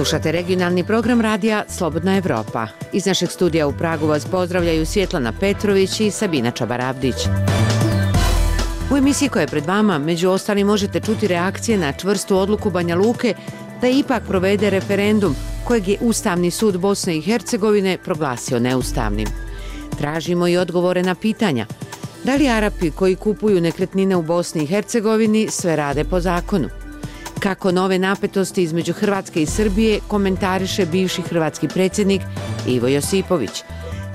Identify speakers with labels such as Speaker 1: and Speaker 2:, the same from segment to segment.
Speaker 1: Slušate regionalni program radija Slobodna Evropa. Iz našeg studija u Pragu vas pozdravljaju Svjetlana Petrović i Sabina Čabarabdić. U emisiji koja je pred vama, među ostalim, možete čuti reakcije na čvrstu odluku Banja Luke da ipak provede referendum kojeg je Ustavni sud Bosne i Hercegovine proglasio neustavnim. Tražimo i odgovore na pitanja. Da li Arapi koji kupuju nekretnine u Bosni i Hercegovini sve rade po zakonu? Kako nove napetosti između Hrvatske i Srbije komentariše bivši hrvatski predsjednik Ivo Josipović?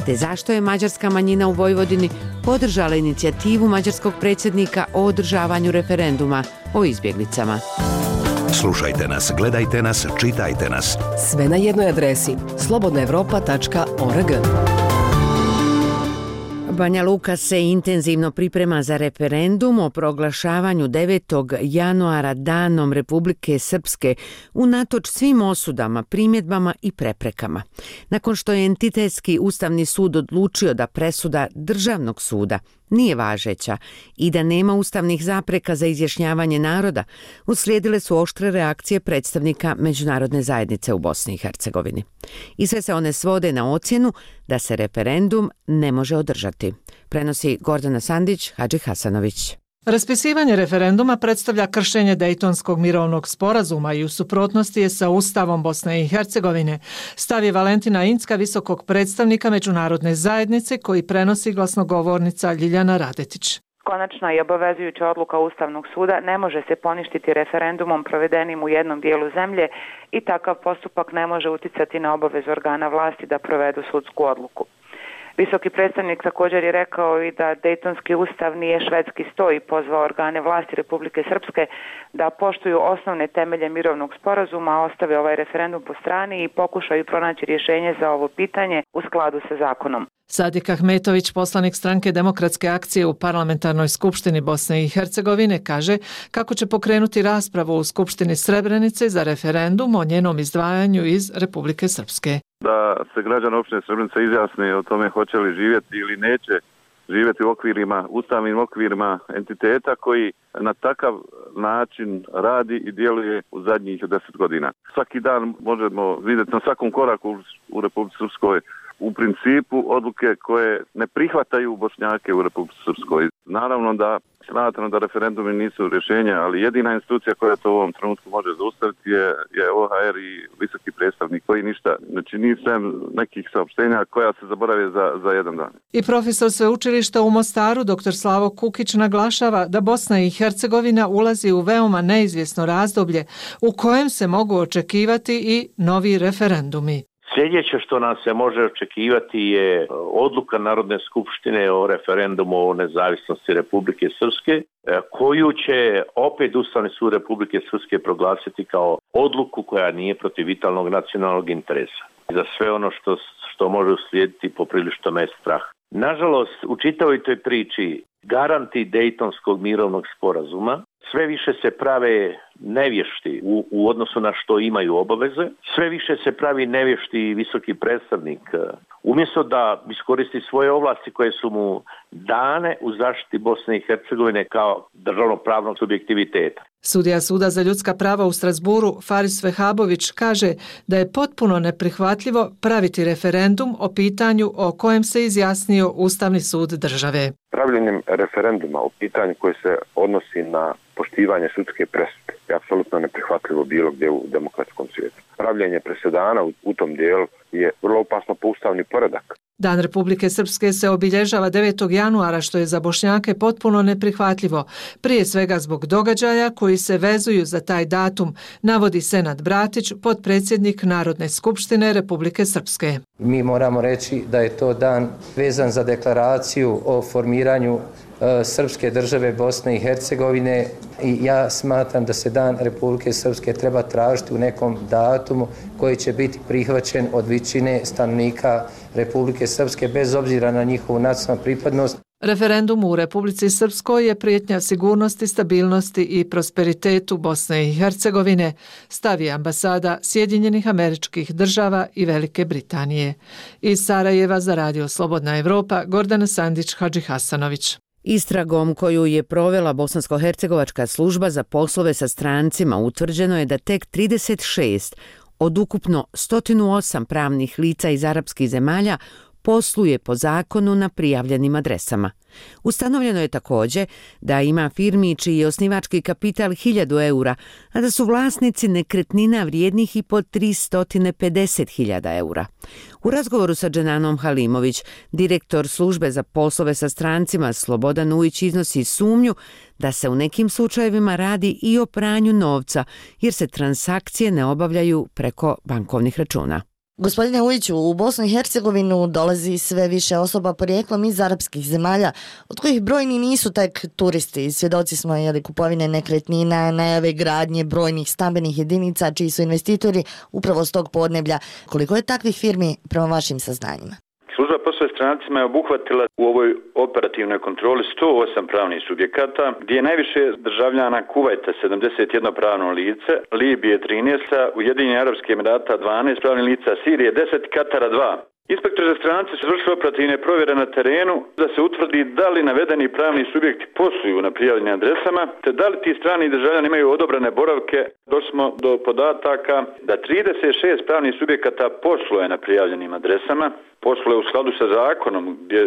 Speaker 1: Te zašto je mađarska manjina u Vojvodini podržala inicijativu mađarskog predsjednika o održavanju referenduma o izbjeglicama?
Speaker 2: Slušajte nas, gledajte nas, čitajte nas.
Speaker 3: Sve na jednoj adresi slobodnaevropa.org.
Speaker 1: Banja Luka se intenzivno priprema za referendum o proglašavanju 9. januara Danom Republike Srpske unatoč svim osudama, primjedbama i preprekama. Nakon što je entitetski Ustavni sud odlučio da presuda Državnog suda nije važeća i da nema ustavnih zapreka za izjašnjavanje naroda, uslijedile su oštre reakcije predstavnika međunarodne zajednice u Bosni i Hercegovini. I sve se one svode na ocjenu da se referendum ne može održati. Prenosi Gordana Sandić, Hadži Hasanović.
Speaker 4: Raspisivanje referenduma predstavlja kršenje Dejtonskog mirovnog sporazuma i u suprotnosti je sa Ustavom Bosne i Hercegovine, stav je Valentina Incka, visokog predstavnika međunarodne zajednice, koji prenosi glasnogovornica Ljiljana Radetić.
Speaker 5: Konačna i obavezujuća odluka Ustavnog suda ne može se poništiti referendumom provedenim u jednom dijelu zemlje i takav postupak ne može uticati na obavezu organa vlasti da provedu sudsku odluku. Visoki predstavnik također je rekao i da Dejtonski ustav nije švedski sto i pozvao organe vlasti Republike Srpske da poštuju osnovne temelje mirovnog sporazuma, ostave ovaj referendum po strani i pokušaju pronaći rješenje za ovo pitanje u skladu sa zakonom.
Speaker 4: Sadik Ahmetović, poslanik stranke Demokratske akcije u Parlamentarnoj skupštini Bosne i Hercegovine, kaže kako će pokrenuti raspravu u Skupštini Srebrenice za referendum o njenom izdvajanju iz Republike Srpske.
Speaker 6: Da se građani opštine Srebrenica izjasne o tome hoće li živjeti ili neće živjeti u okvirima, ustavnim okvirima entiteta koji na takav način radi i djeluje u zadnjih 10 godina. Svaki dan možemo vidjeti na svakom koraku u Republici Srpskoj u principu odluke koje ne prihvataju Bošnjake u Republici Srpskoj. Naravno da smatram da referendumi nisu rješenja, ali jedina institucija koja to u ovom trenutku može zaustaviti je OHR i visoki predstavnik koji ništa ne čini sem nekih saopštenja koja se zaborave za jedan dan.
Speaker 4: I profesor sveučilišta u Mostaru, dr. Slavo Kukić, naglašava da Bosna i Hercegovina ulazi u veoma neizvjesno razdoblje u kojem se mogu očekivati i novi referendumi.
Speaker 7: Sljedeće što nam se može očekivati je odluka Narodne skupštine o referendumu o nezavisnosti Republike Srpske, koju će opet Ustavni sud Republike Srpske proglasiti kao odluku koja nije protiv vitalnog nacionalnog interesa. Za sve ono što može uslijediti poprilično me strah. Nažalost, u čitavoj toj priči garanti Dejtonskog mirovnog sporazuma sve više se prave nevješti u odnosu na što imaju obaveze, sve više se pravi nevješti visoki predstavnik, umjesto da iskoristi svoje ovlasti koje su mu dane u zaštiti Bosne i Hercegovine kao državnopravnog subjektiviteta.
Speaker 4: Sudija Suda za ljudska prava u Strasburu Faris Vehabović kaže da je potpuno neprihvatljivo praviti referendum o pitanju o kojem se izjasnio Ustavni sud države.
Speaker 8: Pravljenjem referenduma o pitanju koje se odnosi na poštivanje sudske presude je apsolutno neprihvatljivo bilo gdje u demokratskom svijetu. Pravljenje presedana u tom dijelu je vrlo opasno po ustavni poredak.
Speaker 4: Dan Republike Srpske se obilježava 9. januara, što je za Bošnjake potpuno neprihvatljivo, prije svega zbog događaja koji se vezuju za taj datum, navodi Senad Bratić, potpredsjednik Narodne skupštine Republike Srpske.
Speaker 9: Mi moramo reći da je to dan vezan za deklaraciju o formiranju Srpske države Bosne i Hercegovine i ja smatram da se Dan Republike Srpske treba tražiti u nekom datumu koji će biti prihvaćen od većine stanovnika Republike Srpske bez obzira na njihovu nacionalnu pripadnost.
Speaker 4: Referendum u Republici Srpskoj je prijetnja sigurnosti, stabilnosti i prosperitetu Bosne i Hercegovine, stavi ambasada Sjedinjenih Američkih Država i Velike Britanije. Iz Sarajeva za Radio Slobodna Evropa, Gordana Sandić, Hadži Hasanović.
Speaker 1: Istragom koju je provela Bosansko-hercegovačka služba za poslove sa strancima utvrđeno je da tek 36 od ukupno 108 pravnih lica iz arapskih zemalja posluje po zakonu na prijavljenim adresama. Ustanovljeno je također da ima firmi čiji je osnivački kapital 1000 eura, a da su vlasnici nekretnina vrijednih i po 350.000 eura. U razgovoru sa Dženanom Halimović, direktor službe za poslove sa strancima Slobodan Ujić iznosi sumnju da se u nekim slučajevima radi i o pranju novca, jer se transakcije ne obavljaju preko bankovnih računa.
Speaker 10: Gospodine Ujiću, u Bosnu i Hercegovinu dolazi sve više osoba porijeklom iz arapskih zemalja, od kojih brojni nisu tek turisti. Svjedoci smo kupovine nekretnina, najave gradnje brojnih stambenih jedinica čiji su investitori upravo s tog podneblja. Koliko je takvih firmi prema vašim saznanjima?
Speaker 11: Služba poslova strancima je obuhvatila u ovoj operativnoj kontroli 108 pravnih subjekata, gdje je najviše državljana Kuvajta 71 pravno lice, Libije 13, Ujedinjenih Arapskih Emirata 12 pravnih lica, Sirije 10, Katara 2. Inspektori za strance su vršili operativne provjere na terenu da se utvrdi da li navedeni pravni subjekti posluju na prijavljenim adresama, te da li ti strani državljani imaju odobrene boravke. Došli smo do podataka da 36 pravnih subjekata posluje na prijavljenim adresama, posluje u skladu sa zakonom gdje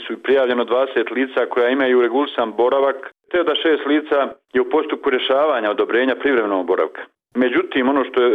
Speaker 11: su prijavljeno 20 lica koja imaju regulisan boravak, te da 6 lica je u postupku rješavanja odobrenja privremenog boravka. Međutim, ono što je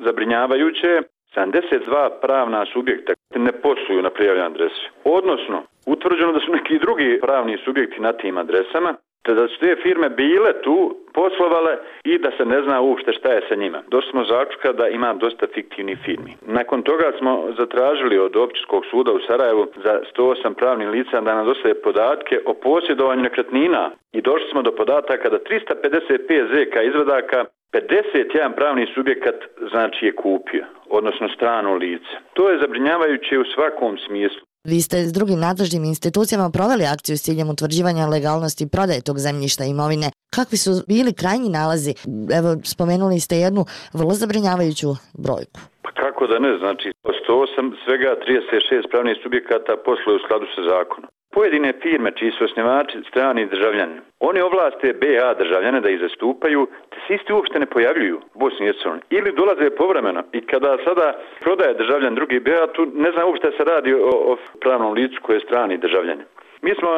Speaker 11: zabrinjavajuće, 72 pravna subjekta ne posluju na prijavljenoj adresi. Odnosno, utvrđeno da su neki drugi pravni subjekti na tim adresama, te da su te firme bile tu, poslovale i da se ne zna uopšte šta je sa njima. Došli smo zaključka da ima dosta fiktivnih firmi. Nakon toga smo zatražili od Općinskog suda u Sarajevu za 108 pravnih lica da nam dostave podatke o posjedovanju nekretnina i došli smo do podataka da 355 ZK izvadaka 51 pravni subjekat znači je kupio, odnosno strano lice. To je zabrinjavajuće u svakom smislu.
Speaker 10: Vi ste s drugim nadležnim institucijama proveli akciju s ciljem utvrđivanja legalnosti prodaje tog zemljišta i imovine. Kakvi su bili krajnji nalazi? Evo, spomenuli ste jednu vrlo zabrinjavajuću brojku.
Speaker 11: Pa kako da ne, znači 108 svega 36 pravnih subjekata posluju u skladu sa zakonom. Pojedine firme čiji su osnivači strani državljani, oni ovlaste BH državljane da ih zastupaju, te se isti uopšte ne pojavljuju u Bosni i Hercegovini ili dolaze povremeno. I kada sada prodaje državljan drugi BH, tu ne znam uopšte se radi o pravnom licu koji je strani državljan. Mi smo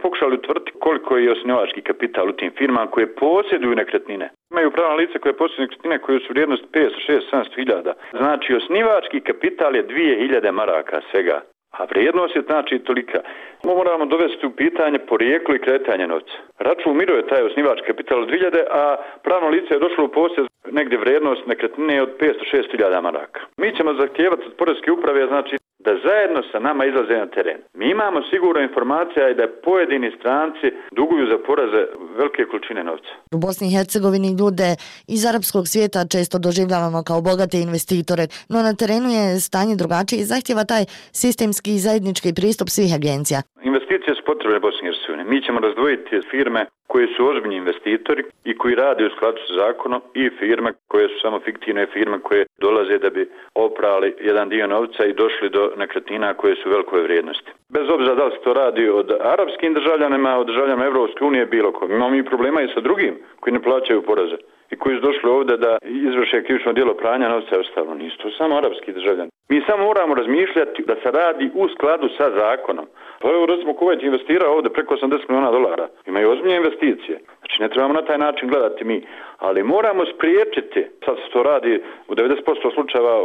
Speaker 11: pokušali utvrditi koliko je osnivački kapital u tim firmama koje posjeduju nekretnine. Imaju pravna lica koje posjeduju nekretnine koje su vrijednost 500, 600, 700 hiljada. Znači osnivački kapital je 2000 maraka svega. A vrijednost je znači tolika. Moramo dovesti u pitanje porijeklo i kretanje novca. Račun miruje taj osnivački kapital od 2000, a pravno lice je došlo u posjed negdje vrijednost nekretnine od 500-600 hiljada maraka. Mi ćemo zahtijevati od Poreske uprave znači da zajedno sa nama izlaze na teren. Mi imamo sigurno informacija i da pojedini stranci duguju za poreze velike količine novca.
Speaker 10: U Bosni i Hercegovini ljude iz arapskog svijeta često doživljavamo kao bogate investitore, no na terenu je stanje drugačije i zahtjeva taj sistemski i zajednički pristup svih agencija.
Speaker 11: Investicije su potrebne Bosni i Hercegovini. Mi ćemo razdvojiti firme koji su ozbiljni investitori i koji rade u skladu sa zakonom i firme koje su samo fiktivne firme koje dolaze da bi oprali jedan dio novca i došli do nekretnina koje su velike vrijednosti. Bez obzira da li se to radi od arapskim državljanima, od državljanima Evropske unije, bilo ko. Imamo i problema i sa drugim koji ne plaćaju poreze i koji su došli ovdje da izvrše krivično djelo pranja novca i ostalo. Nisu to samo arapski državljani. Mi samo moramo razmišljati da se radi u skladu sa zakonom. Pa evo recimo Kuvajt investira ovdje preko $80 miliona. Imaju ozbiljne investicije. Znači ne trebamo na taj način gledati mi. Ali moramo spriječiti, sad se to radi u 90% slučajeva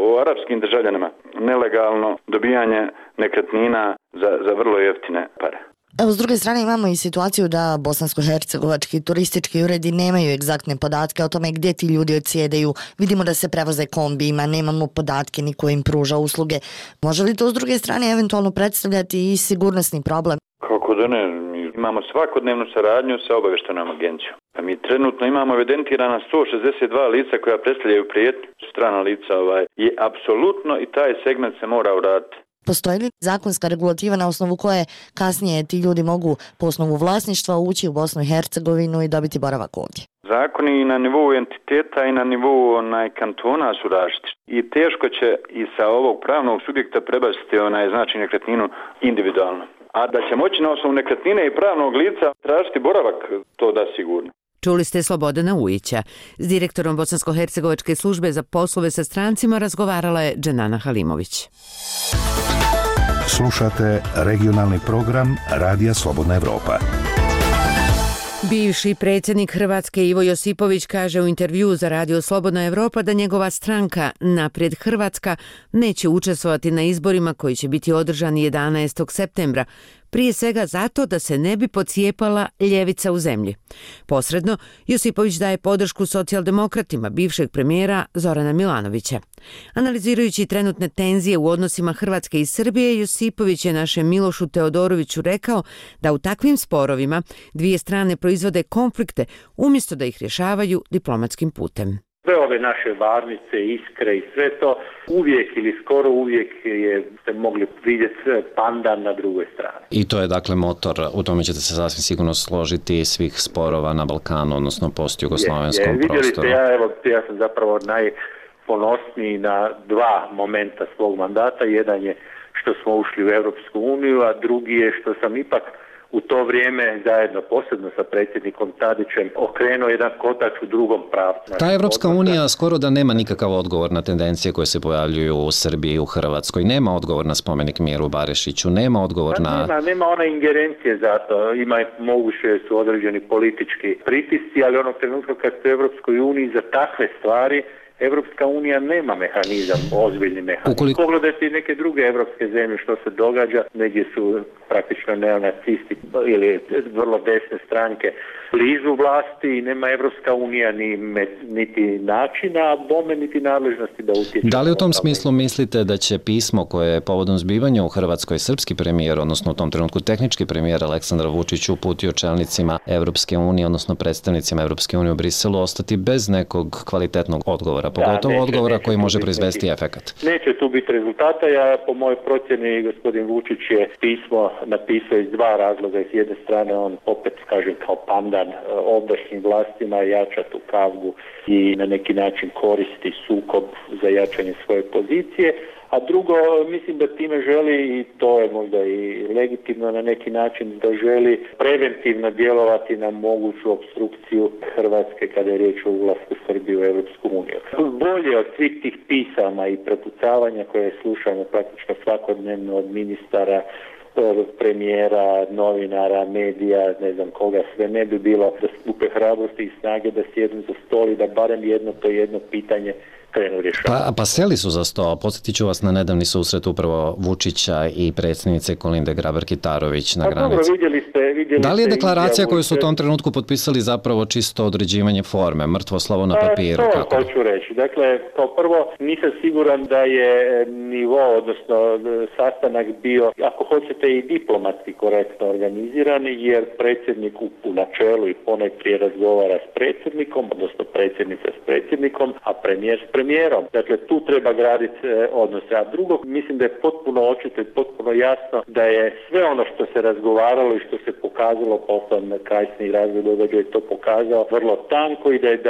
Speaker 11: o arapskim državljanima, nelegalno dobijanje nekretnina za vrlo jeftine pare.
Speaker 10: Evo, s druge strane imamo i situaciju da bosansko-hercegovački turistički uredi nemaju egzaktne podatke o tome gdje ti ljudi odsjedaju. Vidimo da se prevoze kombijima, nemamo podatke, niko im pruža usluge. Može li to s druge strane eventualno predstavljati i sigurnosni problem?
Speaker 11: Kako da ne, mi imamo svakodnevnu saradnju sa obavještajnom agencijom. A mi trenutno imamo evidentirana 162 lica koja predstavljaju prijetnju, strana lica i apsolutno i taj segment se mora uraditi.
Speaker 10: Postoji li zakonska regulativa na osnovu koje kasnije ti ljudi mogu po osnovu vlasništva ući u Bosnu i Hercegovinu i dobiti boravak ovdje?
Speaker 11: Zakoni na nivou entiteta i na nivou kantona su različiti. I teško će i sa ovog pravnog subjekta prebaciti znači nekretninu individualno. A da će moći na osnovu nekretnine i pravnog lica tražiti boravak, to da sigurno.
Speaker 1: Čuli ste Slobodana Ujića. S direktorom Bosansko-hercegovačke službe za poslove sa strancima razgovarala je Dženana Halimović.
Speaker 2: Slušate regionalni program Radija Slobodna Evropa.
Speaker 1: Bivši predsjednik Hrvatske Ivo Josipović kaže u intervjuu za Radio Slobodna Evropa da njegova stranka Naprijed Hrvatska neće učestvovati na izborima koji će biti održani 11. septembra, prije svega zato da se ne bi pocijepala ljevica u zemlji. Posredno, Josipović daje podršku socijaldemokratima bivšeg premijera Zorana Milanovića. Analizirajući trenutne tenzije u odnosima Hrvatske i Srbije, Josipović je našem Milošu Teodoroviću rekao da u takvim sporovima dvije strane proizvode konflikte umjesto da ih rješavaju diplomatskim putem.
Speaker 12: Sve ove naše varnice, iskre i sve to, uvijek ili skoro uvijek ste mogli vidjeti pandan na drugoj strani.
Speaker 13: I to je dakle motor, u tome ćete se sasvim sigurno složiti, svih sporova na Balkanu, odnosno postjugoslovenskom prostoru.
Speaker 12: Ja sam zapravo najponosniji na dva momenta svog mandata. Jedan je što smo ušli u Europsku uniju, a drugi je što sam ipak u to vrijeme zajedno posebno sa predsjednikom Tadićem okrenuo jedan kotač u drugom pravcu.
Speaker 13: Ta Evropska unija skoro da nema nikakav odgovor na tendencije koje se pojavljuju u Srbiji i u Hrvatskoj. Nema odgovor na spomenik Miru Barešiću, nema odgovor na...
Speaker 12: Nema ona ingerencije za to. Moguće su određeni politički pritisci, ali onog trenutka kad ste u Evropskoj uniji za takve stvari Evropska unija nema mehanizam, ozbiljni mehanizam. Pogledajte i neke druge evropske zemlje što se događa, negdje su praktično neonacisti ili vrlo desne stranke blizu vlasti i nema Evropska unija niti načina, a bome niti nadležnosti da utječe.
Speaker 13: Da li u tom smislu mislite da će pismo koje je povodom zbivanja u Hrvatskoj srpski premijer, odnosno u tom trenutku tehnički premijer Aleksandar Vučić uputio čelnicima Evropske unije, odnosno predstavnicima Evropske unije u Briselu, ostati bez nekog kvalitetnog odgovora? Pogotovo odgovora koji može proizvesti efekat.
Speaker 12: Neće tu biti rezultata. Po mojoj procjeni gospodin Vučić je pismo napisao iz dva razloga. S jedne strane on opet, kažem, kao pandan ovdašnjim vlastima jača tu kavgu i na neki način koristi sukob za jačanje svoje pozicije. A drugo, mislim da time želi, i to je možda i legitimno na neki način, da želi preventivno djelovati na moguću opstrukciju Hrvatske kada je riječ o ulasku Srbije u Europsku uniju. Bolje od svih tih pisama i prepucavanja koje slušamo praktično svakodnevno od ministara, premijera, novinara, medija, ne znam koga sve, ne bi bilo da skupe hrabrosti i snage da sjednu za stol i da barem jedno pitanje krenu rješavati.
Speaker 13: Pa seli su za sto. Podsjetit ću vas na nedavni susret upravo Vučića i predsjednice Kolinde Grabar-Kitarović na granici.
Speaker 12: Dobro, vidjeli ste
Speaker 13: da li je deklaracija koju su u tom trenutku potpisali zapravo čisto određivanje forme, mrtvo slovo na papiru?
Speaker 12: To hoću reći. Dakle, kao prvo, nisam siguran da je nivo, odnosno sastanak bio, ako hoćete, i diplomatski korektno organiziran, jer predsjednik u načelu i ponajprije razgovara s predsjednikom, odnosno predsjednica s predsjednikom, a premijer s premijerom. Dakle, tu treba graditi odnose. A drugo, mislim da je potpuno očito i potpuno jasno da je sve ono što se razgovaralo i što se pokazalo, potom kasniji razvoj događaja je to pokazao, vrlo tanko i da je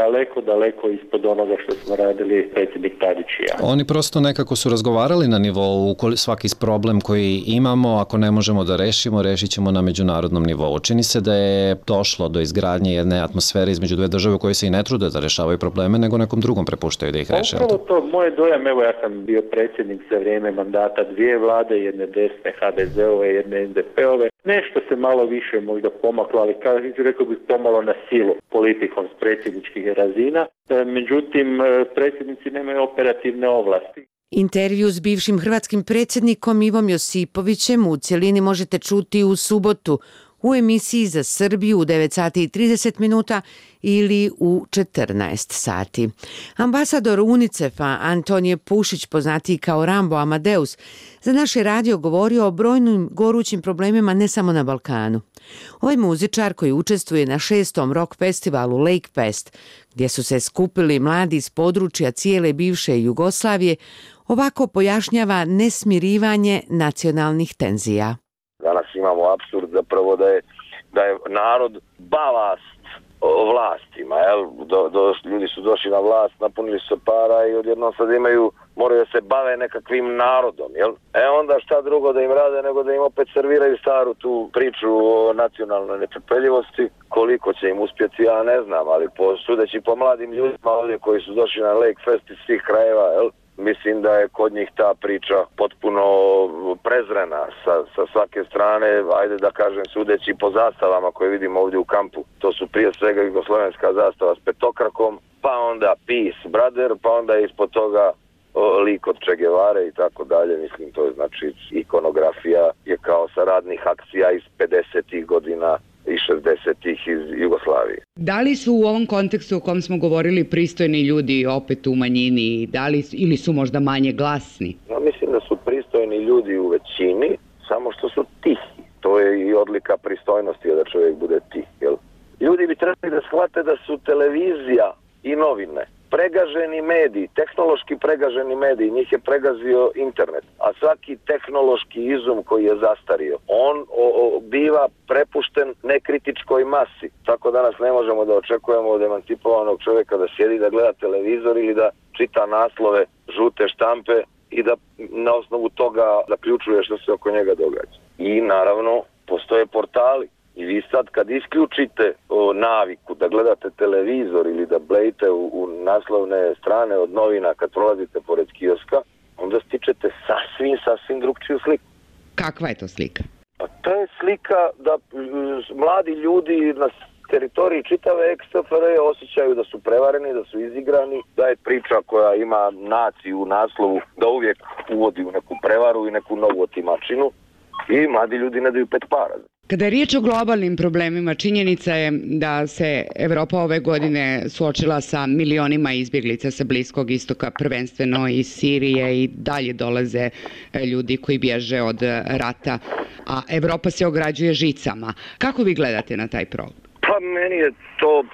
Speaker 12: daleko ispod onoga što smo radili predsjednik Tadić i ja.
Speaker 13: Oni prosto nekako su razgovarali na nivou svaki problem koji imamo, ako ne možemo da rešit ćemo na međunarodnom nivou. Čini se da je došlo do izgradnje jedne atmosfere između dve države koje se i ne trude da rešavaju probleme, nego nekom drugom prepuštaju da ih reše.
Speaker 12: Upravo to, moj dojam, evo ja sam bio predsjednik za vrijeme mandata dvije vlade, jedne desne HDZ-ove, jedne SDP-ove. Nešto se malo više možda pomaklo, ali rekao bih pomalo na silu politikom s predsjedničkih razina. Međutim, predsjednici nemaju operativne ovlasti.
Speaker 1: Intervju s bivšim hrvatskim predsjednikom Ivom Josipovićem u cjelini možete čuti u subotu u emisiji za Srbiju u 9 sati i 30 minuta ili u 14 sati. Ambasador UNICEF-a Antonije Pušić, poznatiji kao Rambo Amadeus, za naš je radio govorio o brojnim gorućim problemima ne samo na Balkanu. Ovaj muzičar koji učestvuje na 6. rock festivalu Lake Fest, gdje su se skupili mladi iz područja cijele bivše Jugoslavije, ovako pojašnjava nesmirivanje nacionalnih tenzija.
Speaker 14: Danas imamo apsurd zapravo da je narod balast vlastima, ljudi su došli na vlast, napunili su para i odjednom sad imaju moraju da se bave nekakvim narodom, jel? Onda šta drugo da im rade nego da im opet serviraju staru tu priču o nacionalnoj netrpeljivosti. Koliko će im uspjeti, ja ne znam, ali sudeći po mladim ljudima ovdje koji su došli na Lake Fest iz svih krajeva, jel? Mislim da je kod njih ta priča potpuno prezrena sa svake strane, ajde da kažem sudeći po zastavama koje vidimo ovdje u kampu. To su prije svega jugoslovenska zastava s petokrakom, pa onda Peace Brother, pa onda ispod toga lik od Che Guevare i tako dalje. Mislim, to je znači ikonografija je kao sa radnih akcija iz 50. godina i 60-ih iz Jugoslavije.
Speaker 15: Da li su u ovom kontekstu o kom smo govorili pristojni ljudi opet u manjini, ili su možda manje glasni?
Speaker 14: Ja mislim da su pristojni ljudi u većini, samo što su tihi. To je i odlika pristojnosti da čovjek bude tih. Jel? Ljudi bi trebali da shvate da su televizija i novine pregaženi mediji, tehnološki pregaženi mediji, njih je pregazio internet, a svaki tehnološki izum koji je zastario, on biva prepušten nekritičkoj masi. Tako danas ne možemo da očekujemo od emancipovanog čovjeka da sjedi da gleda televizor ili da čita naslove žute štampe i da na osnovu toga zaključuje što se oko njega događa. I naravno postoje portali. I vi sad kad isključite naviku da gledate televizor ili da blejite u naslovne strane od novina kad prolazite pored kioska, onda stičete sasvim drugčiju sliku.
Speaker 15: Kakva je to slika?
Speaker 14: Pa to je slika da mladi ljudi na teritoriji čitave ex-SFRJ osjećaju da su prevareni, da su izigrani, da je priča koja ima naciju u naslovu da uvijek uvodi u neku prevaru i neku novu otimačinu i mladi ljudi ne daju pet para.
Speaker 15: Kada je riječ o globalnim problemima, činjenica je da se Evropa ove godine suočila sa milionima izbjeglica sa Bliskog istoka, prvenstveno iz Sirije, i dalje dolaze ljudi koji bježe od rata, a Evropa se ograđuje žicama. Kako vi gledate na taj problem?
Speaker 14: Pa meni je to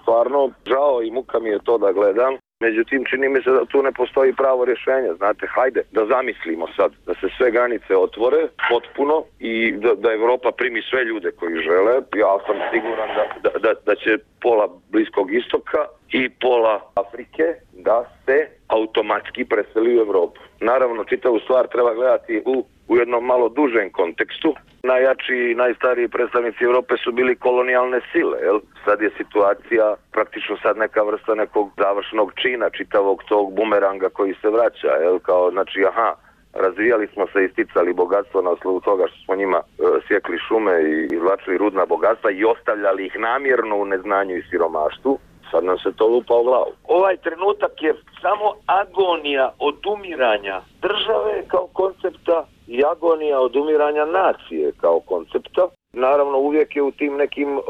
Speaker 14: stvarno žao i muka mi je to da gledam. Međutim, čini mi se da tu ne postoji pravo rješenje. Znate, hajde da zamislimo sad da se sve granice otvore potpuno i da Evropa primi sve ljude koji žele. Ja sam siguran da će pola Bliskog istoka i pola Afrike da se automatski preseli u Evropu. Naravno, čitavu stvar treba gledati u jednom malo dužem kontekstu. Najjači i najstariji predstavnici Europe su bili kolonijalne sile. Jel? Sad je situacija praktično sad neka vrsta nekog završnog čina čitavog tog bumeranga koji se vraća. Jel? Kao, znači, razvijali smo se i sticali bogatstvo na osnovu toga što smo njima sjekli šume i izvlačili rudna bogatstva i ostavljali ih namjerno u neznanju i siromaštvu. Sad nam se to lupa u glavu. Ovaj trenutak je samo agonija odumiranja države kao koncepta i agonija odumiranja nacije kao koncepta. Naravno, uvijek je u tim nekim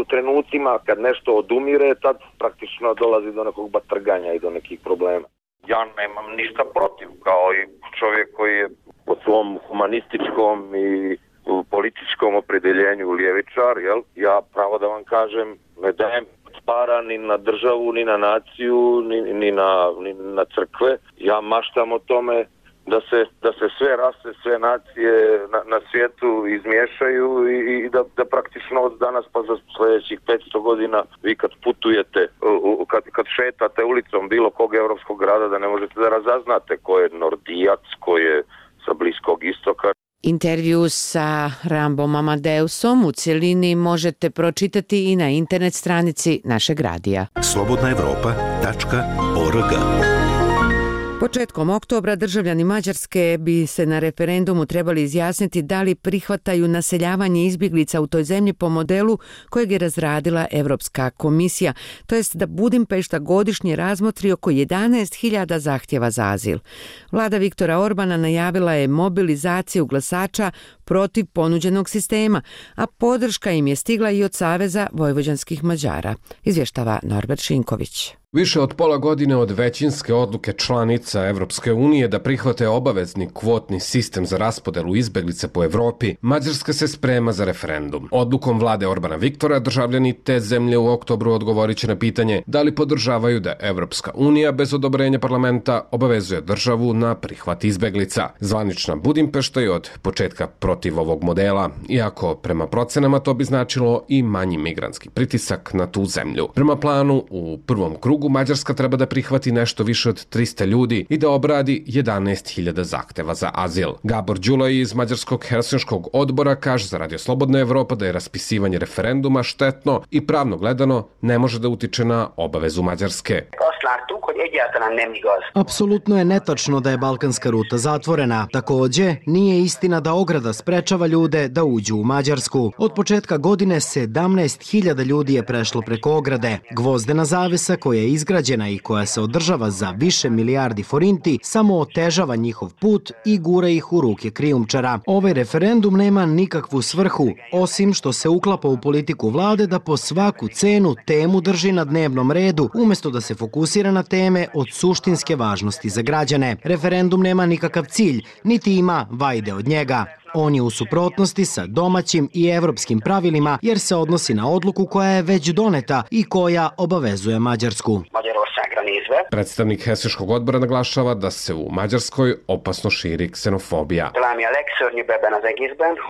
Speaker 14: trenucima kad nešto odumire, tad praktično dolazi do nekog batrganja i do nekih problema. Ja nemam ništa protiv, kao i čovjek koji je po svom humanističkom i političkom opredjeljenju ljevičar, jel? Ja pravo da vam kažem, ne dajem para ni na državu, ni na naciju, ni na crkve. Ja maštam o tome da se sve rase, sve nacije na svijetu izmiješaju i da praktično od danas pa za sljedećih 500 godina vi kad putujete, kad šetate ulicom bilo kog europskog grada, da ne možete da razaznate ko je Nordijac, ko je sa Bliskog istoka.
Speaker 1: Intervju sa Rambom Amadeusom u cjelini možete pročitati i na internet stranici našeg radija.
Speaker 2: slobodnaevropa.org.
Speaker 1: Početkom oktobra državljani Mađarske bi se na referendumu trebali izjasniti da li prihvataju naseljavanje izbjeglica u toj zemlji po modelu kojeg je razradila Europska komisija, to jest da Budimpešta godišnje razmotri oko 11.000 zahtjeva za azil. Vlada Viktora Orbana najavila je mobilizaciju glasača protiv ponuđenog sistema, a podrška im je stigla i od Saveza vojvođanskih Mađara, izvještava Norbert Šinković.
Speaker 16: Više od pola godine od većinske odluke članica Evropske unije da prihvate obavezni kvotni sistem za raspodelu izbjeglica po Evropi, Mađarska se sprema za referendum. Odlukom vlade Orbana Viktora državljani te zemlje u oktobru odgovorit će na pitanje da li podržavaju da Evropska unija bez odobrenja parlamenta obavezuje državu na prihvat izbjeglica. Zvanična Budimpešta je od početka protiv ovog modela, iako prema procenama to bi značilo i manji migrantski pritisak na tu zemlju. Prema planu, u prvom krugu predlogu Mađarska treba da prihvati nešto više od 300 ljudi i da obradi 11.000 zahteva za azil. Gabor Đulaj iz Mađarskog Helsinškog odbora kaže za Radio Slobodna Evropa da je raspisivanje referenduma štetno i pravno gledano ne može da utiče na obavezu Mađarske.
Speaker 17: Apsolutno je netačno da je balkanska ruta zatvorena. Takođe, nije istina da ograda sprečava ljude da uđu u Mađarsku. Od početka godine 17.000 ljudi je prešlo preko ograde. Gvozdena zavesa koja je izgrađena i koja se održava za više milijardi forinti samo otežava njihov put i gura ih u ruke krijumčara. Ovaj referendum nema nikakvu svrhu, osim što se uklapa u politiku vlade da po svaku cenu temu drži na dnevnom redu, umesto da se fokusira na teme od suštinske važnosti za građane. Referendum nema nikakav cilj, niti ima vajde od njega. On je u suprotnosti sa domaćim i evropskim pravilima jer se odnosi na odluku koja je već doneta i koja obavezuje Mađarsku.
Speaker 16: Predstavnik Helsinškog odbora naglašava da se u Mađarskoj opasno širi ksenofobija.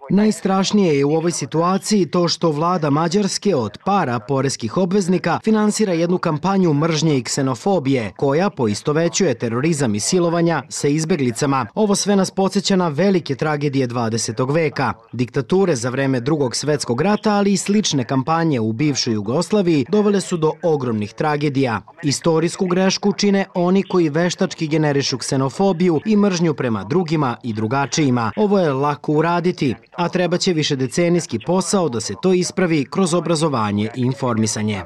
Speaker 17: Najstrašnije je u ovoj situaciji to što vlada Mađarske od para poreskih obveznika finansira jednu kampanju mržnje i ksenofobije koja poistovećuje terorizam i silovanja sa izbeglicama. Ovo sve nas podsjeća na velike tragedije 20. veka, diktature za vreme Drugog svetskog rata, ali i slične kampanje u bivšoj Jugoslaviji dovele su do ogromnih tragedija. Istorijsku grešku čine oni koji veštački generišu ksenofobiju i mržnju prema drugima i drugačijima. Ovo je lako uraditi, a treba će višedecenijski posao da se to ispravi kroz obrazovanje i informisanje.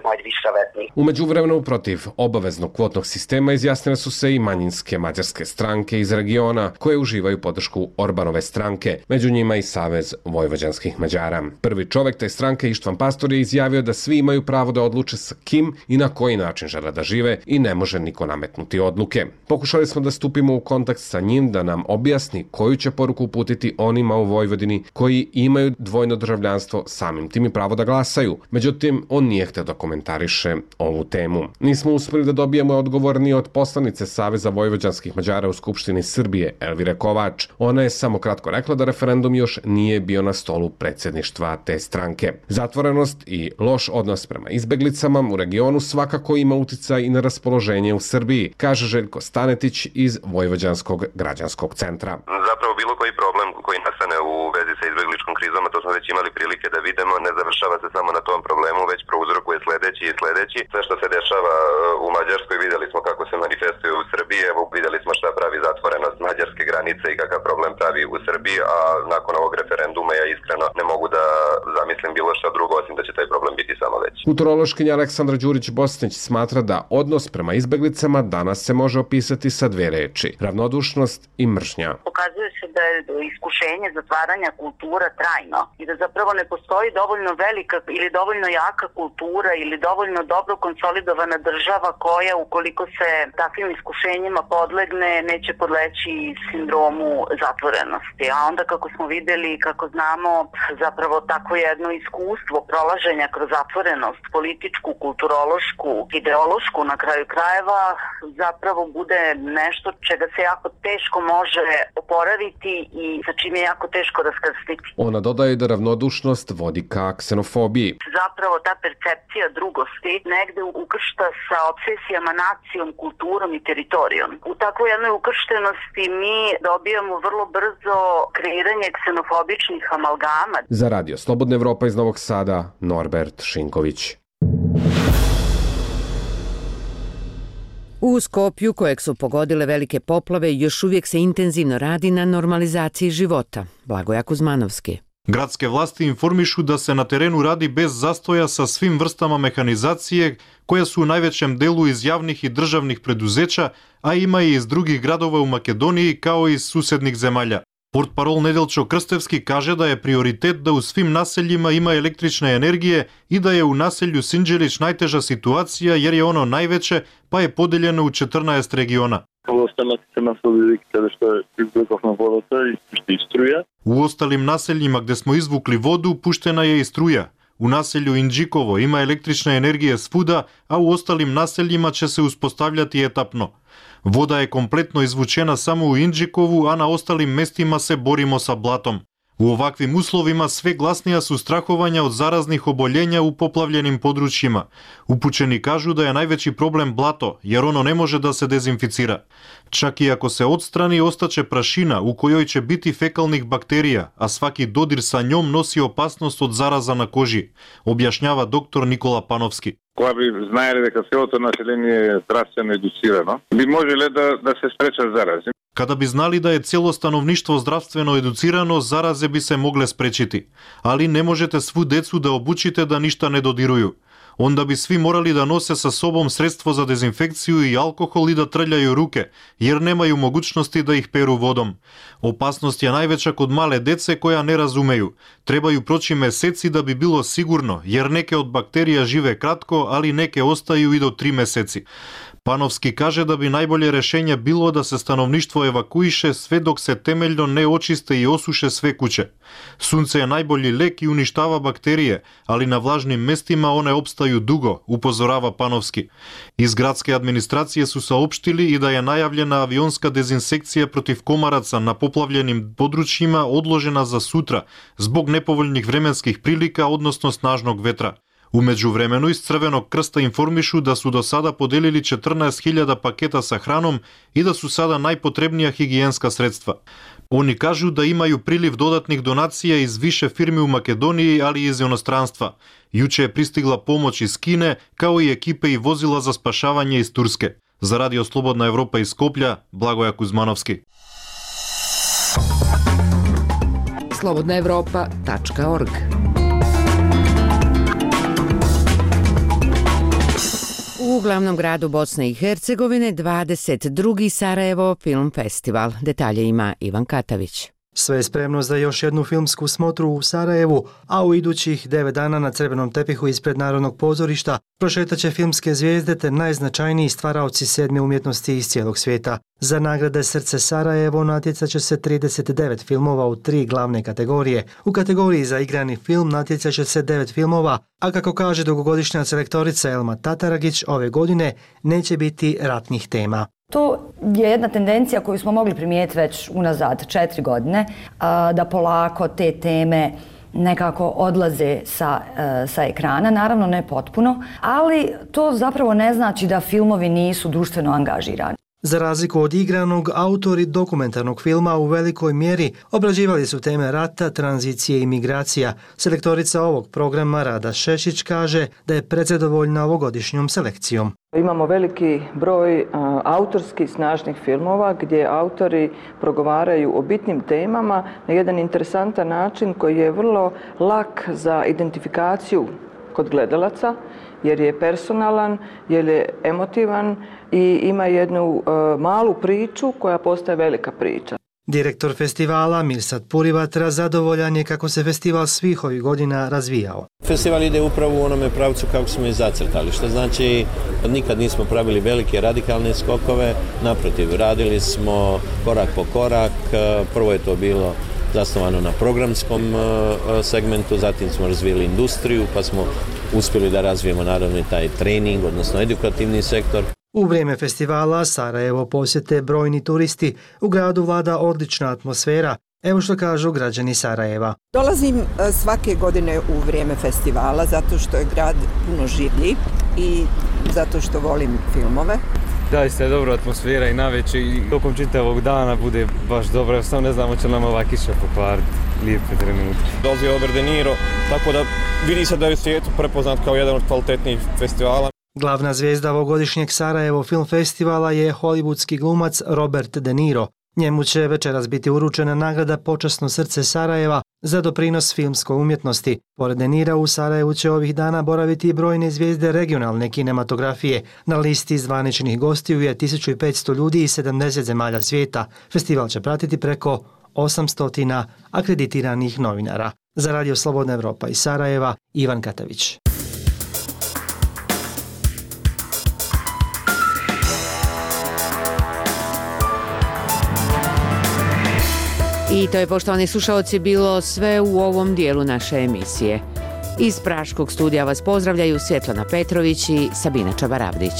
Speaker 16: U međuvremenu protiv obaveznog kvotnog sistema izjasnile su se i manjinske mađarske stranke iz regiona koje uživaju podršku Orbanove stranke, među njima i Savez vojvođanskih Mađara. Prvi čovek te stranke Ištvan Pastor je izjavio da svi imaju pravo da odluče sa kim i na koji način žele da žive i ne može niko nametnuti odluke. Pokušali smo da stupimo u kontakt sa njim da nam objasni koju će poruku uputiti onima u Vojvodini koji imaju dvojno državljanstvo, samim tim i pravo da glasaju. Međutim, on nije hteo da komentariše ovu temu. Nismo uspeli da dobijemo odgovor ni od poslanice Saveza vojvođanskih Mađara u Skupštini Srbije, Elvire Kovač. Ona je samo kratko rekla da referendum još nije bio na stolu predsjedništva te stranke. Zatvorenost i loš odnos prema izbeglicama u regionu svakako ima uticaj i na raspoloženje u Srbiji, kaže Željko Stanetić iz Vojvođanskog građanskog centra.
Speaker 18: Zapravo bilo koji problem koji nastane u vezi sa izbegličkom krizom, a to smo već imali prilike da vidimo, ne završava se samo na tom problemu, već prouzrokuje sledeći i sledeći. Sve što se dešava u Mađarskoj vidjeli smo kako se manifestuje u Srbiji, evo vidjeli smo šta pravi zatvorenost mađarske granice i kakav problem pravi u Srbiji, a nakon ovog referenduma ja iskreno ne mogu da zamislim bilo šta drugo osim da će taj problem biti samo veći.
Speaker 16: Kulturološkinja Aleksandra Đurić-Bosnić smatra da odnos prema izbeglicama danas se može opisati sa dve reči: ravnodušnost i mržnja.
Speaker 19: Pokazuje se da je iskušenje zatvaranja kultura trajno i da zapravo ne postoji dovoljno velika ili dovoljno jaka kultura ili dovoljno dobro konsolidovana država koja, ukoliko se takvim iskušenjima podlegne, neće podleći sindromu zatvorenosti. A onda kako smo videli, kako znamo, zapravo takvo jedno iskustvo prolaženja kroz zatvorenost, političku, kulturološku, ideološku na kraju krajeva, zapravo bude nešto čega se jako teško može oporaviti i sa čim je jako teško raskrstiti.
Speaker 16: Ona dodaje da ravnodušnost vodi ka ksenofobiji.
Speaker 19: Zapravo ta percepcija drugosti negde ukršta sa obsesijama nacijom, kulturom i teritorijom. U takvoj jednoj ukrštenosti mi dobijamo vrlo brzo kreiranje ksenofobičnih amalgama.
Speaker 16: Za Radio Slobodna Evropa iz Novog Sada, Norbert Šinković.
Speaker 1: U Skopju, kojeg su pogodile velike poplave, još uvijek se intenzivno radi na normalizaciji života. Blagoja Kuzmanovski.
Speaker 20: Gradske vlasti informišu da se na terenu radi bez zastoja sa svim vrstama mehanizacije koja su u najvećem delu iz javnih i državnih preduzeća, a ima i iz drugih gradova u Makedoniji kao i iz susednih zemalja. Portparol Nedeljčo Krstevski kaže da je prioritet da u svim naseljima ima električne energije i da je u naselju Sinđelić najteža situacija jer je ono najveće, pa je podeljeno u 14 regiona. U ostalim naseljima gde smo izvukli vodu puštena je i struja. U naselju Indžikovo ima električne energije svuda, a u ostalim naseljima će se uspostavljati etapno. Voda je kompletno izvučena samo u Indžikovu, a na ostalim mestima se borimo sa blatom. U ovakvim uslovima sve glasnija su strahovanja od zaraznih oboljenja u poplavljenim područjima. Upućeni kažu da je najveći problem blato, jer ono ne može da se dezinficira. Čak i ako se odstrani, ostaće prašina u kojoj će biti fekalnih bakterija, a svaki dodir sa njom nosi opasnost od zaraza na koži, objašnjava dr. Nikola Panovski.
Speaker 21: Koja bi znali дека целото население je zdravstveno educirano, bi možele da se sprečат zaraze.
Speaker 20: Kada bi znali da je cijelo stanovništvo zdravstveno educirano, zaraze bi se mogle sprečiti. Ali ne možete svu decu da obučite da ništa ne dodiruju. Onda bi svi morali da nose sa sobom sredstvo za dezinfekciju i alkohol i da trljaju ruke, jer nemaju mogućnosti da ih peru vodom. Opasnost je najveća kod male dece koja ne razumeju. Trebaju proći meseci da bi bilo sigurno, jer neke od bakterija žive kratko, ali neke ostaju i do 3 meseci. Panovski kaže da bi najbolje rešenje bilo da se stanovništvo evakuiše sve dok se temeljno ne očiste i osuše sve kuće. Sunce je najbolji lek i uništava bakterije, ali na vlažnim mestima one opstaju dugo, upozorava Panovski. Iz gradske administracije su saopštili i da je najavljena avionska dezinsekcija protiv komaraca na poplavljenim područjima odložena za sutra zbog nepovoljnih vremenskih prilika, odnosno snažnog vetra. U međuvremenu iz Crvenog krsta informišu da su do sada podelili 14.000 paketa sa hranom i da su sada najpotrebnija higijenska sredstva. Oni kažu da imaju priliv dodatnih donacija iz više firmi u Makedoniji, ali i iz inostranstva. Juče je pristigla pomoć iz Kine, kao i ekipe i vozila za spašavanje iz Turske. Za Radio Slobodna Evropa iz Skoplja, Blagoja Kuzmanovski.
Speaker 3: slobodnaevropa.org.
Speaker 1: U glavnom gradu Bosne i Hercegovine 22. Sarajevo Film Festival. Detalje ima Ivan Katavić.
Speaker 17: Sve je spremno za još jednu filmsku smotru u Sarajevu, a u idućih 9 dana na crvenom tepihu ispred Narodnog pozorišta prošetaće filmske zvijezde te najznačajniji stvaraoci sedme umjetnosti iz cijelog svijeta. Za nagrade Srce Sarajevo natjecat će se 39 filmova u 3 glavne kategorije. U kategoriji za igrani film natjecat će se 9 filmova, a kako kaže dugogodišnja selektorica Elma Tataragić, ove godine neće biti ratnih tema.
Speaker 22: To je jedna tendencija koju smo mogli primijetiti već unazad 4 godine, da polako te teme nekako odlaze sa ekrana, naravno ne potpuno, ali to zapravo ne znači da filmovi nisu društveno angažirani.
Speaker 17: Za razliku od igranog, autori dokumentarnog filma u velikoj mjeri obrađivali su teme rata, tranzicije i migracija. Selektorica ovog programa Rada Šešić kaže da je prezadovoljna ovogodišnjom selekcijom.
Speaker 23: Imamo veliki broj autorskih snažnih filmova gdje autori progovaraju o bitnim temama na jedan interesantan način koji je vrlo lak za identifikaciju kod gledalaca, jer je personalan, jer je emotivan i ima jednu malu priču koja postaje velika priča.
Speaker 17: Direktor festivala Mirsad Purivatra zadovoljan je kako se festival svih ovih godina razvijao.
Speaker 24: Festival ide upravo u onome pravcu kako smo i zacrtali, što znači nikad nismo pravili velike radikalne skokove, naprotiv, radili smo korak po korak, prvo je to bilo zasnovano na programskom segmentu, zatim smo razvijeli industriju, pa smo uspjeli da razvijemo naravno i taj trening, odnosno edukativni sektor.
Speaker 17: U vrijeme festivala Sarajevo posjete brojni turisti, u gradu vlada odlična atmosfera. Evo što kažu građani Sarajeva.
Speaker 25: Dolazim svake godine u vrijeme festivala zato što je grad puno življi i zato što volim filmove.
Speaker 26: Zaista je dobra atmosfera i navečer i tokom čitavog dana bude baš dobro. Samo ne znamo će nam ova kiša pokvariti lijepe trenutke.
Speaker 27: Dolazi Robert De Niro, tako da vidi se da je u svijetu prepoznat kao jedan od kvalitetnijih festivala.
Speaker 17: Glavna zvijezda ovogodišnjeg Sarajevo Film Festivala je hollywoodski glumac Robert De Niro. Njemu će večeras biti uručena nagrada Počasno srce Sarajeva za doprinos filmskoj umjetnosti. Pored De Nira u Sarajevu će ovih dana boraviti i brojne zvijezde regionalne kinematografije. Na listi zvaničnih gostiju je 1500 ljudi iz 70 zemalja svijeta. Festival će pratiti preko 800 akreditiranih novinara. Za Radio Slobodna Evropa iz Sarajeva, Ivan Katavić.
Speaker 1: I to je, poštovani slušalci, bilo sve u ovom dijelu naše emisije. Iz Praškog studija vas pozdravljaju Svjetlana Petrović i Sabina Čabaravdić.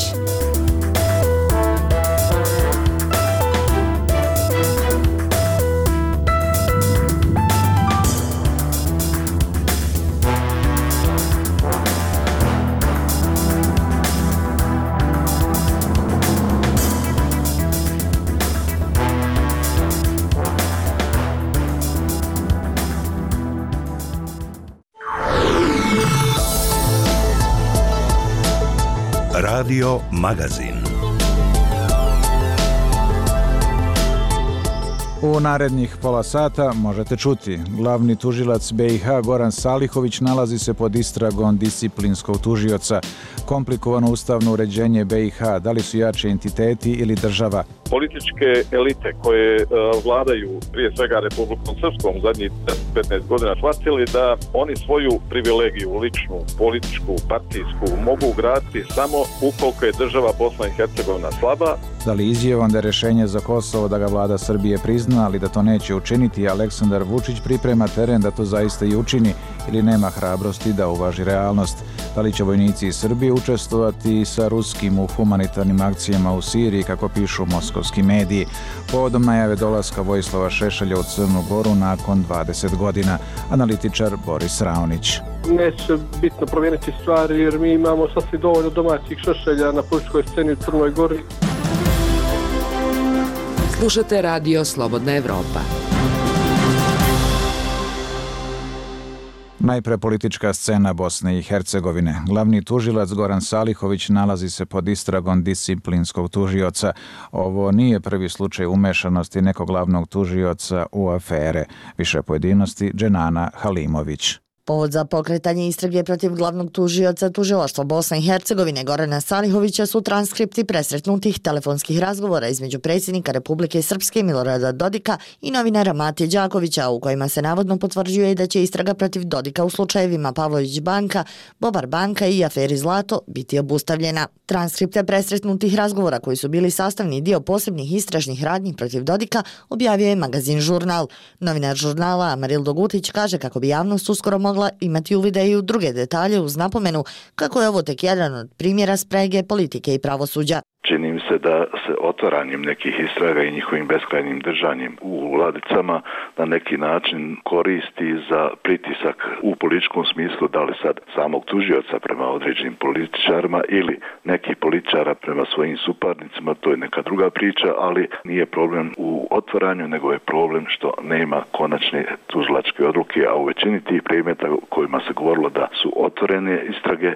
Speaker 2: Radio Magazin.
Speaker 4: U narednih pola sata možete čuti. Glavni tužilac BiH Goran Salihović nalazi se pod istragom disciplinskog tužioca. Komplikovano ustavno uređenje BiH, da li su jači entiteti ili država?
Speaker 21: Političke elite koje vladaju prije svega Republikom Srpskom zadnjih 15 godina shvatili da oni svoju privilegiju, ličnu, političku, partijsku, mogu graditi samo ukoliko je država Bosna i Hercegovina slaba.
Speaker 4: Da li izjavom da je rješenje za Kosovo da ga vlada Srbije prizna, ali da to neće učiniti, Aleksandar Vučić priprema teren da to zaista i učini ili nema hrabrosti da uvaži realnost? Da li će vojnici iz Srbije učestvovati sa ruskim u humanitarnim akcijama u Siriji, kako pišu moskovski mediji, povodom najave dolaska Vojislava Šešelja u Crnu Goru nakon 20 godina? Analitičar Boris Raonić.
Speaker 5: Neće bitno promijeniti stvari jer mi imamo sasvim dovoljno domaćih Šešelja na političkoj sceni u Crnoj Gori.
Speaker 3: Slušate radio Slobodna Evropa.
Speaker 4: Najpre politička scena Bosne i Hercegovine. Glavni tužilac Goran Salihović nalazi se pod istragom disciplinskog tužioca. Ovo nije prvi slučaj umešanosti nekog glavnog tužioca u afere. Više pojedinosti Dženana Halimović.
Speaker 6: Povod za pokretanje istrage protiv glavnog tužioca Tužilaštva Bosne i Hercegovine Gorana Salihovića su transkripti presretnutih telefonskih razgovora između predsjednika Republike Srpske Milorada Dodika i novinara Matije Đakovića, u kojima se navodno potvrđuje da će istraga protiv Dodika u slučajevima Pavlović banka, Bobar banka i aferi Zlato biti obustavljena. Transkripte presretnutih razgovora, koji su bili sastavni dio posebnih istražnih radnji protiv Dodika, objavio je magazin Žurnal. Novinar žurnala Amarildo Gutić kaže kako bi javnost uskoro mogla imati uvide i u druge detalje, uz napomenu kako je ovo tek jedan od primjera sprege politike i pravosuđa.
Speaker 7: Čini mi se da se otvaranjem nekih istraga i njihovim beskrajnim držanjem u ladicama na neki način koristi za pritisak u političkom smislu, da li sad samog tužioca prema određenim političarima ili nekih političara prema svojim suparnicima, to je neka druga priča, ali nije problem u otvaranju, nego je problem što nema konačne tužilačke odluke, a u većini tih predmeta kojima se govorilo da su otvorene istrage,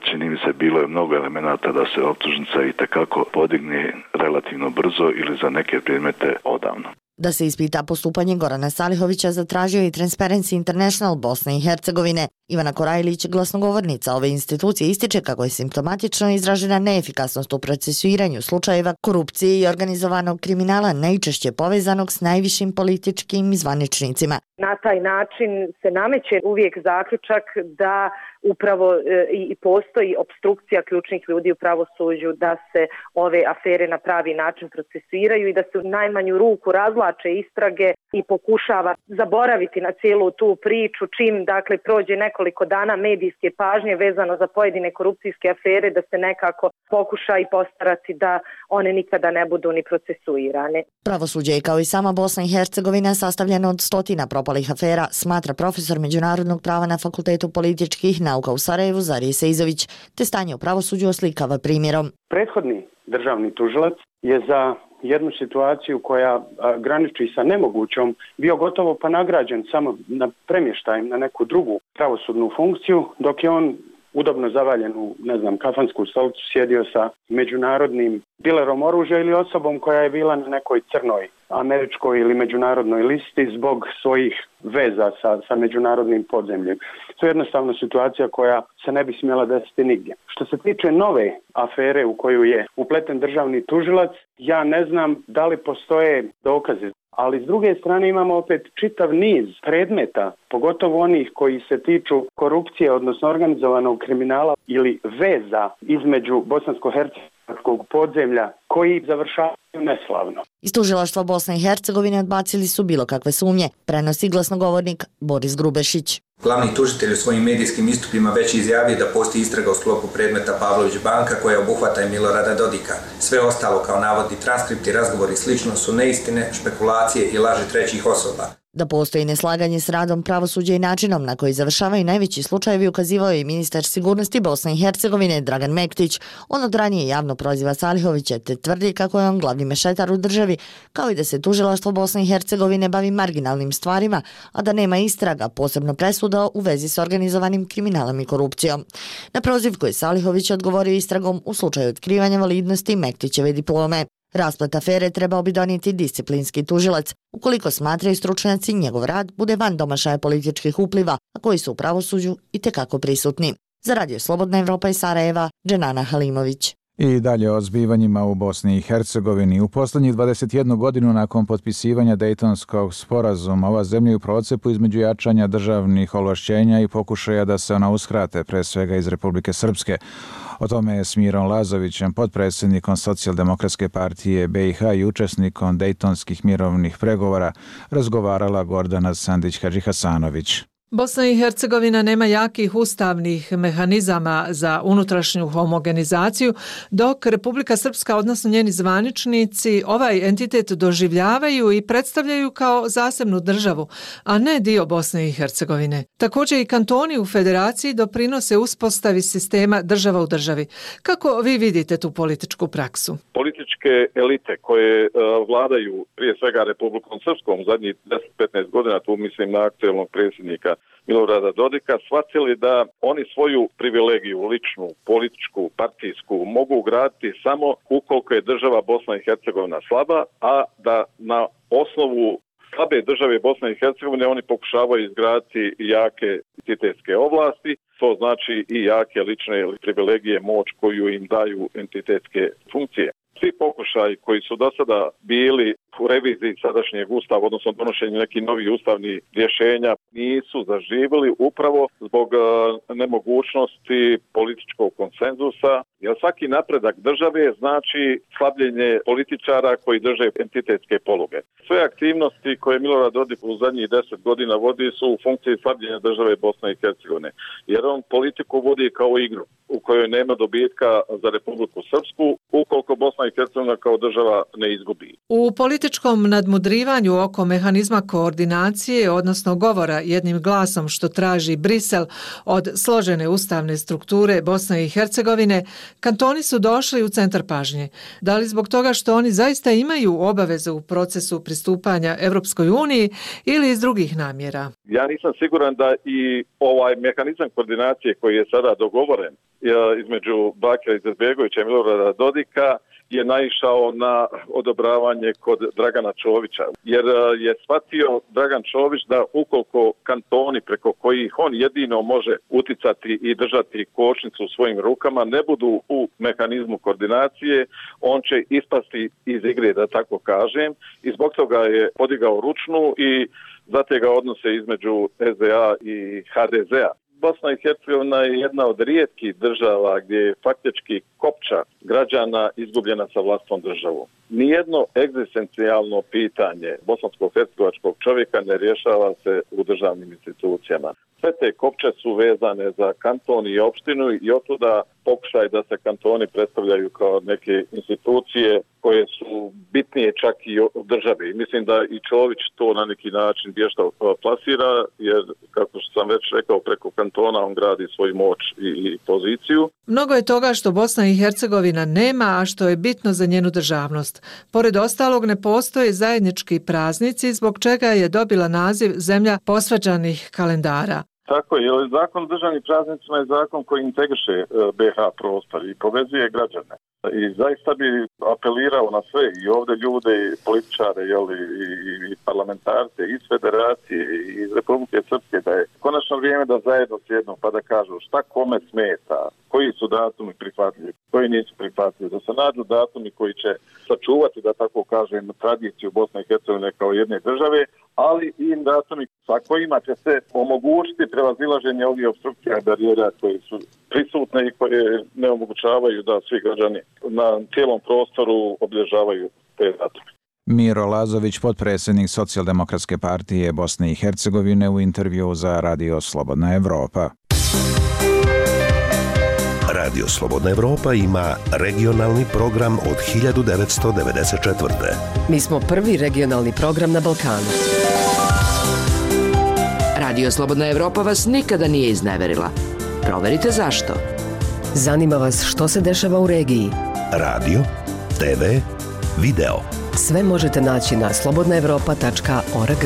Speaker 7: čini mi se bilo je mnogo elemenata da se optužnica i kako podigne relativno brzo ili za neke predmete odavno.
Speaker 6: Da se ispita postupanje Gorana Salihovića zatražio i Transparency International Bosne i Hercegovine. Ivana Korajlić, glasnogovornica ove institucije, ističe kako je simptomatično izražena neefikasnost u procesuiranju slučajeva korupcije i organizovanog kriminala, najčešće povezanog s najvišim političkim zvaničnicima.
Speaker 8: Na taj način se nameće uvijek zaključak da upravo i postoji opstrukcija ključnih ljudi u pravosuđu, da se ove afere na pravi način procesuiraju i da se u najmanju ruku razvlače istrage i pokušava zaboraviti na cijelu tu priču čim prođe nekoliko dana medijske pažnje vezano za pojedine korupcijske afere, da se nekako pokuša i postarati da one nikada ne budu ni procesuirane.
Speaker 6: Pravosuđe je, kao i sama Bosna i Hercegovina, sastavljeno od stotina propalih afera, smatra profesor međunarodnog prava na Fakultetu političkih nauka u Sarajevu Zarije Sejzović, te stanje u pravosuđu oslikava primjerom.
Speaker 9: Prethodni državni tužilac je za jednu situaciju koja graniči sa nemogućom bio gotovo pa nagrađen samo na premještajem na neku drugu pravosudnu funkciju, dok je on udobno zavaljen u, kafansku stolicu sjedio sa međunarodnim dilerom oružja ili osobom koja je bila na nekoj crnoj američkoj ili međunarodnoj listi zbog svojih veza sa međunarodnim podzemljem. To je jednostavno situacija koja se ne bi smjela desiti nigdje. Što se tiče nove afere u koju je upleten državni tužilac, ja ne znam da li postoje dokazi. Ali s druge strane imamo opet čitav niz predmeta, pogotovo onih koji se tiču korupcije, odnosno organizovanog kriminala ili veza između bosansko-hercegovačkog podzemlja, koji završavaju neslavno.
Speaker 6: Iz tužilaštva Bosne i Hercegovine odbacili su bilo kakve sumnje, prenosi glasnogovornik Boris Grubešić.
Speaker 10: Glavni tužitelj u svojim medijskim istupima već izjavio da postoji istraga u sklopu predmeta Pavlović banka koja obuhvata i Milorada Dodika. Sve ostalo kao navodni transkripti, razgovori i slično su neistine, špekulacije i laži trećih osoba.
Speaker 6: Da postoji neslaganje s radom pravosuđa i načinom na koji završavaju najveći slučajevi ukazivao je i ministar sigurnosti Bosne i Hercegovine Dragan Mektić. On od ranije javno proziva Salihovića te tvrdi kako je on glavni mešetar u državi, kao i da se tužilaštvo Bosne i Hercegovine bavi marginalnim stvarima, a da nema istraga, posebno presuda u vezi s organizovanim kriminalom i korupcijom. Na prozivku je Salihović odgovorio istragom u slučaju otkrivanja validnosti Mektićeve diplome. Rasplet afere trebao bi donijeti disciplinski tužilac, ukoliko smatraju stručnjaci njegov rad bude van domašaja političkih upliva, a koji su u pravosuđu itekako prisutni. Za Radio Slobodna Evropa iz Sarajeva, Dženana Halimović.
Speaker 4: I dalje o zbivanjima u Bosni i Hercegovini. U posljednjih 21 godinu nakon potpisivanja Dejtonskog sporazuma, ova zemlja je u procepu između jačanja državnih ovlašćenja i pokušaja da se ona uskrate, pre svega iz Republike Srpske. O tome je s Mirom Lazovićem, potpredsjednikom Socijaldemokratske partije BiH i učesnikom Dejtonskih mirovnih pregovora, razgovarala Gordana Sandić-Hadžihasanović.
Speaker 11: Bosna i Hercegovina nema jakih ustavnih mehanizama za unutrašnju homogenizaciju, dok Republika Srpska, odnosno njeni zvaničnici, ovaj entitet doživljavaju i predstavljaju kao zasebnu državu, a ne dio Bosne i Hercegovine. Također i kantoni u federaciji doprinose uspostavi sistema država u državi. Kako vi vidite tu političku praksu?
Speaker 21: Političke elite koje vladaju prije svega Republikom Srpskom zadnjih 10-15 godina, tu mislim na aktuelnog predsjednika Milorada Dodika, shvatili da oni svoju privilegiju, ličnu, političku, partijsku, mogu graditi samo ukoliko je država Bosna i Hercegovina slaba, a da na osnovu slabe države Bosne i Hercegovine oni pokušavaju izgraditi jake entitetske ovlasti, to znači i jake lične privilegije, moć koju im daju entitetske funkcije. Svi pokušaji koji su do sada bili u reviziji sadašnjeg ustava, odnosno donošenju nekih novih ustavnih rješenja, nisu zaživjeli upravo zbog nemogućnosti političkog konsenzusa, jer svaki napredak države znači slabljenje političara koji drže entitetske poluge. Sve aktivnosti koje Milorad Dodik u zadnjih 10 godina vodi su u funkciji slabljenja države Bosne i Hercegovine, jer on politiku vodi kao igru u kojoj nema dobitka za Republiku Srpsku ukoliko Bosna i Hercegovina kao država ne izgubi.
Speaker 11: U političkom nadmudrivanju oko mehanizma koordinacije, odnosno govora jednim glasom što traži Brisel od složene ustavne strukture Bosne i Hercegovine, kantoni su došli u centar pažnje. Da li zbog toga što oni zaista imaju obavezu u procesu pristupanja Evropskoj uniji ili iz drugih namjera?
Speaker 21: Ja nisam siguran da i ovaj mehanizam koordinacije koji je sada dogovoren između Bakira Izetbegovića i Milorada Dodika je naišao na odobravanje kod Dragana Čovića, jer je shvatio Dragan Čović da ukoliko kantoni preko kojih on jedino može uticati i držati kočnicu u svojim rukama ne budu u mehanizmu koordinacije, on će ispasti iz igre, da tako kažem, i zbog toga je podigao ručnu i zategao odnose između SDA i HDZ-a. Bosna i Hercegovina je jedna od rijetkih država gdje je faktički kopča građana izgubljena sa vlastnom državom. Nijedno egzistencijalno pitanje bosansko-hercegovačkog čovjeka ne rješava se u državnim institucijama. Sve te kopče su vezane za kanton i opštinu i otuda pokušaj da se kantoni predstavljaju kao neke institucije koje su bitnije čak i od države. Mislim da i Čović to na neki način vješto plasira, jer kako sam već rekao, preko kantona on gradi svoju moć i poziciju.
Speaker 11: Mnogo je toga što Bosna i Hercegovina nema, a što je bitno za njenu državnost. Pored ostalog ne postoje zajednički praznici, zbog čega je dobila naziv zemlja posvađanih kalendara.
Speaker 21: Tako je, jer zakon o državnim praznicima je zakon koji integriše BiH prostor i povezuje građane. I zaista bi apelirao na sve i ovdje ljude, i političare, i parlamentarce iz Federacije i iz Republike Srpske, da je konačno vrijeme da zajedno sjednu pa da kažu šta kome smeta, koji su datumi prihvatljivi, koji nisu prihvatljivi, da se nađu datumi koji će sačuvati, da tako kažem, tradiciju Bosne i Hercegovine kao jedne države, ali i datumi sa kojima će se omogućiti prevazilaženje ovih opstrukcija i barijera koje su prisutne i koje ne omogućavaju da svi građani na cijelom prostoru obilježavaju te datume.
Speaker 4: Miro Lazović, potpredsjednik Socijaldemokratske partije Bosne i Hercegovine, u intervju za Radio Slobodna Evropa.
Speaker 2: Radio Slobodna Evropa ima regionalni program od 1994.
Speaker 3: Mi smo prvi regionalni program na Balkanu.
Speaker 12: Radio Slobodna Evropa vas nikada nije izneverila. Proverite zašto.
Speaker 3: Zanima vas što se dešava u regiji?
Speaker 2: Radio, TV, video.
Speaker 3: Sve možete naći na slobodnaevropa.org.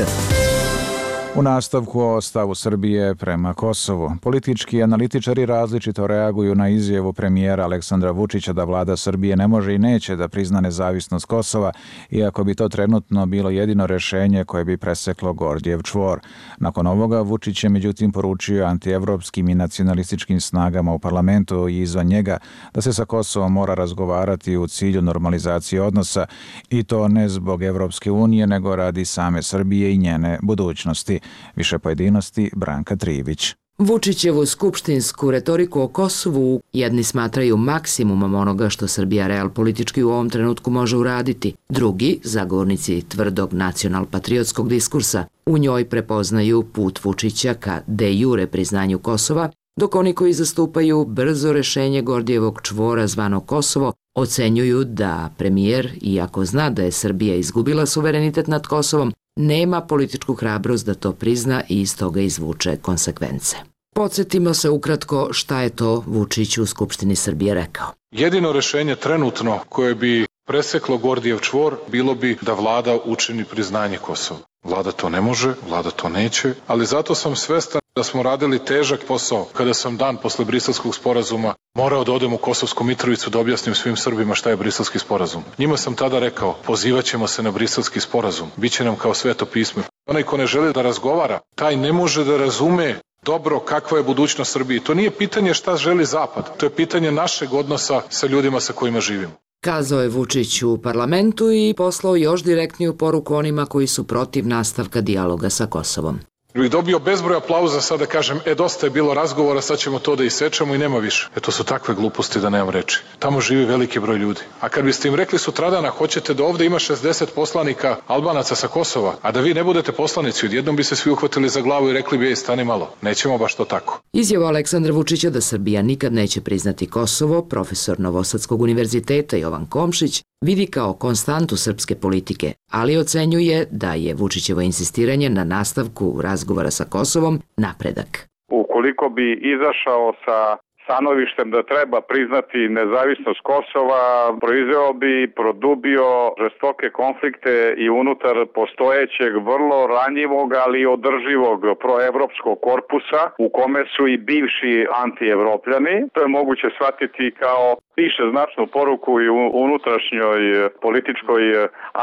Speaker 4: U nastavku o stavu Srbije prema Kosovu. Politički analitičari različito reaguju na izjavu premijera Aleksandra Vučića da vlada Srbije ne može i neće da prizna nezavisnost Kosova, iako bi to trenutno bilo jedino rešenje koje bi preseklo Gordijev čvor. Nakon ovoga Vučić je međutim poručio antievropskim i nacionalističkim snagama u parlamentu i izvan njega da se sa Kosovom mora razgovarati u cilju normalizacije odnosa, i to ne zbog Evropske unije nego radi same Srbije i njene budućnosti. Više pojedinosti Branka Trivić.
Speaker 12: Vučićevu skupštinsku retoriku o Kosovu jedni smatraju maksimumom onoga što Srbija realpolitički u ovom trenutku može uraditi. Drugi, zagovornici tvrdog nacional-patriotskog diskursa, u njoj prepoznaju put Vučića ka de jure priznanju Kosova, dok oni koji zastupaju brzo rešenje Gordijevog čvora zvano Kosovo ocenjuju da premijer, iako zna da je Srbija izgubila suverenitet nad Kosovom, nema političku hrabrost da to prizna i iz toga izvuče konsekvence. Podsjetimo se ukratko šta je to Vučić u Skupštini Srbije rekao.
Speaker 13: Jedino rešenje trenutno koje bi preseklo Gordijev čvor bilo bi da vlada učini priznanje Kosova. Vlada to ne može, vlada to neće, ali zato sam svestan da smo radili težak posao kada sam dan posle Briselskog sporazuma morao da odem u Kosovsku Mitrovicu da objasnim svim Srbima šta je Briselski sporazum. Njima sam tada rekao, pozivaćemo se na Briselski sporazum, biće nam kao sveto pismo. Onaj ko ne želi da razgovara, taj ne može da razume dobro kakva je budućnost Srbije. To nije pitanje šta želi Zapad, to je pitanje našeg odnosa sa ljudima sa kojima živimo.
Speaker 12: Kazao je Vučić u parlamentu i poslao još direktniju poruku onima koji su protiv nastavka dijaloga sa Kosovom.
Speaker 13: Bih dobio bezbroj aplauza sad da kažem, dosta je bilo razgovora, sad ćemo to da isečemo i nema više. To su takve gluposti da nemam reči. Tamo živi veliki broj ljudi. A kad biste im rekli sutradana, hoćete da ovde ima 60 poslanika Albanaca sa Kosova, a da vi ne budete poslanici, odjednom bi se svi uhvatili za glavu i rekli bi, stani malo, nećemo baš to tako.
Speaker 12: Izjava Aleksandra Vučića da Srbija nikad neće priznati Kosovo, profesor Novosadskog univerziteta Jovan Komšić, vidi kao konstantu srpske politike, ali ocenjuje da je Vučićevo insistiranje na nastavku razgovora sa Kosovom napredak.
Speaker 21: Ukoliko bi izašao sa stanovištem da treba priznati nezavisnost Kosova, proizveo bi, produbio žestoke konflikte i unutar postojećeg vrlo ranjivog, ali održivog proevropskog korpusa u kome su i bivši antievropljani. To je moguće shvatiti kao više značnu poruku i u unutrašnjoj političkoj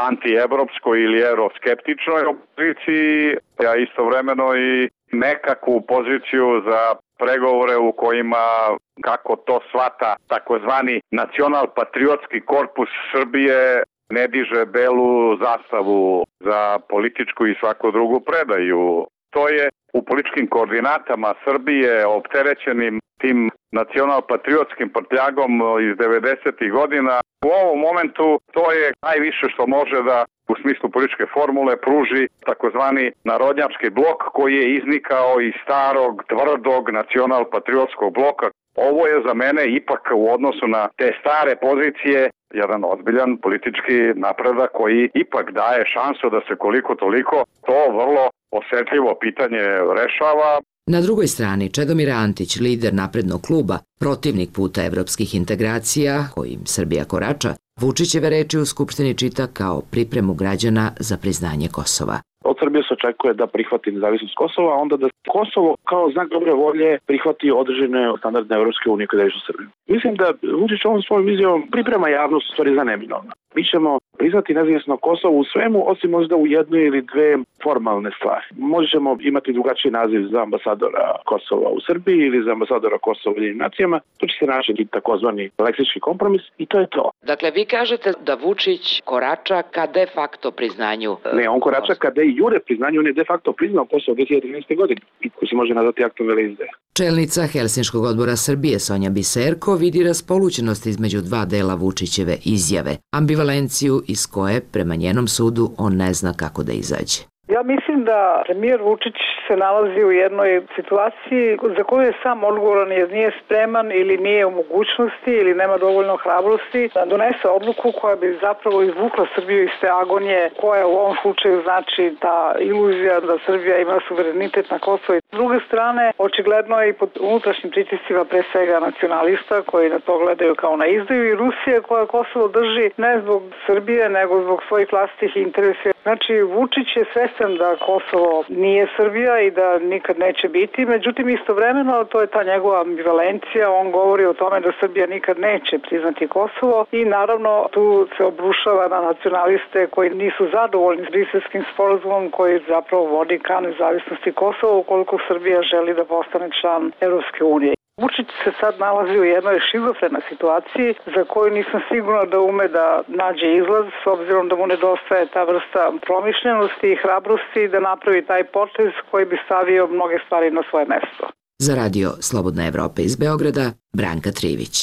Speaker 21: antievropskoj ili euroskeptičnoj opoziciji, a istovremeno i nekakvu poziciju za pregovore u kojima, kako to shvata takozvani nacional-patriotski korpus Srbije, ne diže belu zastavu za političku i svaku drugu predaju. To je u političkim koordinatama Srbije opterećenim tim nacional-patriotskim prtljagom iz 90. godina. U ovom momentu to je najviše što može da u smislu političke formule pruži takozvani narodnjački blok koji je iznikao iz starog, tvrdog nacional-patriotskog bloka. Ovo je za mene ipak u odnosu na te stare pozicije jedan ozbiljan politički napredak koji ipak daje šansu da se koliko toliko to vrlo osetljivo pitanje rešava.
Speaker 12: Na drugoj strani, Čedomir Antić, lider naprednog kluba, protivnik puta evropskih integracija, kojim Srbija korača, Vučićeve reči u Skupštini čita kao pripremu građana za priznanje Kosova.
Speaker 14: Od Srbije se očekuje da prihvati nezavisnost Kosova, a onda da Kosovo kao znak dobre volje prihvati određene standardne Evropske unije koje daju Srbiju. Mislim da Vučić ovom svojom vizijom priprema javnost u stvari za neminovno. Mi ćemo priznati nezavisno Kosovo u svemu, osim možda u jednoj ili dve formalne stvari. Možemo imati drugačiji naziv za ambasadora Kosova u Srbiji ili za ambasadora Kosova u Ujedinjenim nacijama. To će se naći takozvani leksički kompromis i to je to.
Speaker 12: Dakle, vi kažete da Vučić korača ka de facto priznanju
Speaker 14: Ne, on korača ka de jure priznanju, on je de facto priznao Kosovo 2013. godine, koji se može nazvati aktom veleizdaje.
Speaker 12: Čelnica Helsinškog odbora Srbije Sonja Biserko vidi raspolućenost između dva dela Vučićeve izjave, ambivalenciju iz koje, prema njenom sudu, on ne zna kako da izađe.
Speaker 15: Ja mislim da premijer Vučić se nalazi u jednoj situaciji za koju je sam odgovoran jer nije spreman ili nije u mogućnosti ili nema dovoljno hrabrosti da donese odluku koja bi zapravo izvukla Srbiju iz te agonije koja u ovom slučaju znači ta iluzija da Srbija ima suverenitet na Kosovo. S druge strane, očigledno je i pod unutrašnjim pritiscima pre svega nacionalista koji na to gledaju kao na izdaju i Rusije koja Kosovo drži ne zbog Srbije nego zbog svojih vlastitih interesa. Znači, Vučić je svestan da Kosovo nije Srbija i da nikad neće biti, međutim istovremeno to je ta njegova ambivalencija, on govori o tome da Srbija nikad neće priznati Kosovo i naravno tu se obrušava na nacionaliste koji nisu zadovoljni s Briselskim sporazumom koji zapravo vodi ka nezavisnosti Kosova ukoliko Srbija želi da postane član Europske unije. Vučić se sad nalazi u jednoj šizofrenoj situaciji za koju nisam sigurna da ume da nađe izlaz s obzirom da mu nedostaje ta vrsta promišljenosti i hrabrosti da napravi taj potez koji bi stavio mnoge stvari na svoje mesto.
Speaker 12: Za radio Slobodna Evropa iz Beograda, Branka Trivić.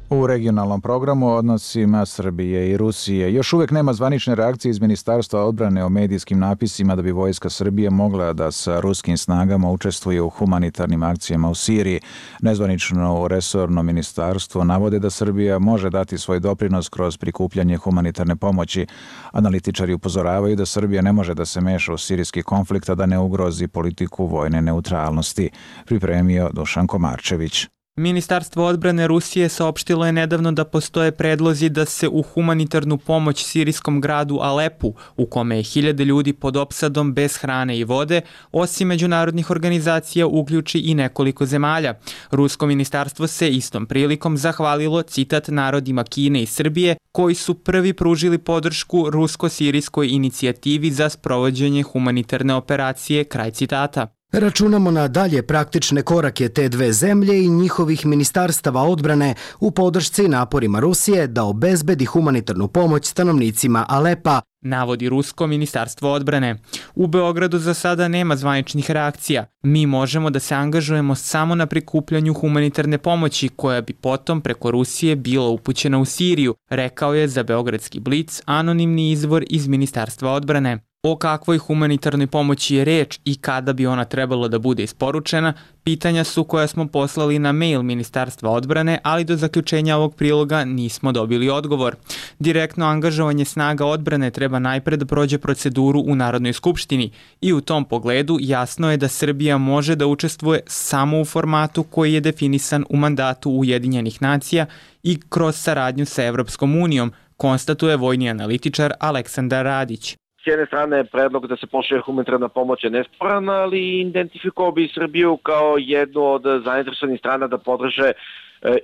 Speaker 4: U regionalnom programu o odnosima Srbije i Rusije još uvijek nema zvanične reakcije iz Ministarstva odbrane o medijskim napisima da bi vojska Srbije mogla da sa ruskim snagama učestvuje u humanitarnim akcijama u Siriji. Nezvanično u resorno ministarstvo navode da Srbija može dati svoj doprinos kroz prikupljanje humanitarne pomoći. Analitičari upozoravaju da Srbija ne može da se meša u sirijski konflikt, a da ne ugrozi politiku vojne neutralnosti. Pripremio Dušan Komarčević.
Speaker 16: Ministarstvo odbrane Rusije saopštilo je nedavno da postoje predlozi da se u humanitarnu pomoć sirijskom gradu Alepu, u kome je 1000 ljudi pod opsadom bez hrane i vode, osim međunarodnih organizacija uključi i nekoliko zemalja. Rusko ministarstvo se istom prilikom zahvalilo, citat, narodima Kine i Srbije, koji su prvi pružili podršku rusko-sirijskoj inicijativi za sprovođenje humanitarne operacije, kraj citata.
Speaker 17: Računamo na dalje praktične korake te dve zemlje i njihovih ministarstava odbrane u podršci naporima Rusije da obezbedi humanitarnu pomoć stanovnicima Alepa,
Speaker 16: navodi Rusko ministarstvo odbrane. U Beogradu za sada nema zvaničnih reakcija. Mi možemo da se angažujemo samo na prikupljanju humanitarne pomoći koja bi potom preko Rusije bila upućena u Siriju, rekao je za Beogradski Blic anonimni izvor iz Ministarstva odbrane. O kakvoj humanitarnoj pomoći je reč i kada bi ona trebala da bude isporučena, pitanja su koja smo poslali na mail Ministarstva odbrane, ali do zaključenja ovog priloga nismo dobili odgovor. Direktno angažovanje snaga odbrane treba najpre da prođe proceduru u Narodnoj skupštini i u tom pogledu jasno je da Srbija može da učestvuje samo u formatu koji je definisan u mandatu Ujedinjenih nacija i kroz saradnju sa Evropskom unijom, konstatuje vojni analitičar Aleksandar Radić.
Speaker 18: S jedne strane predlog da se pošalje humanitarna pomoć je nesporan, ali identifikovao bi Srbiju kao jednu od zainteresovanih strana da podrže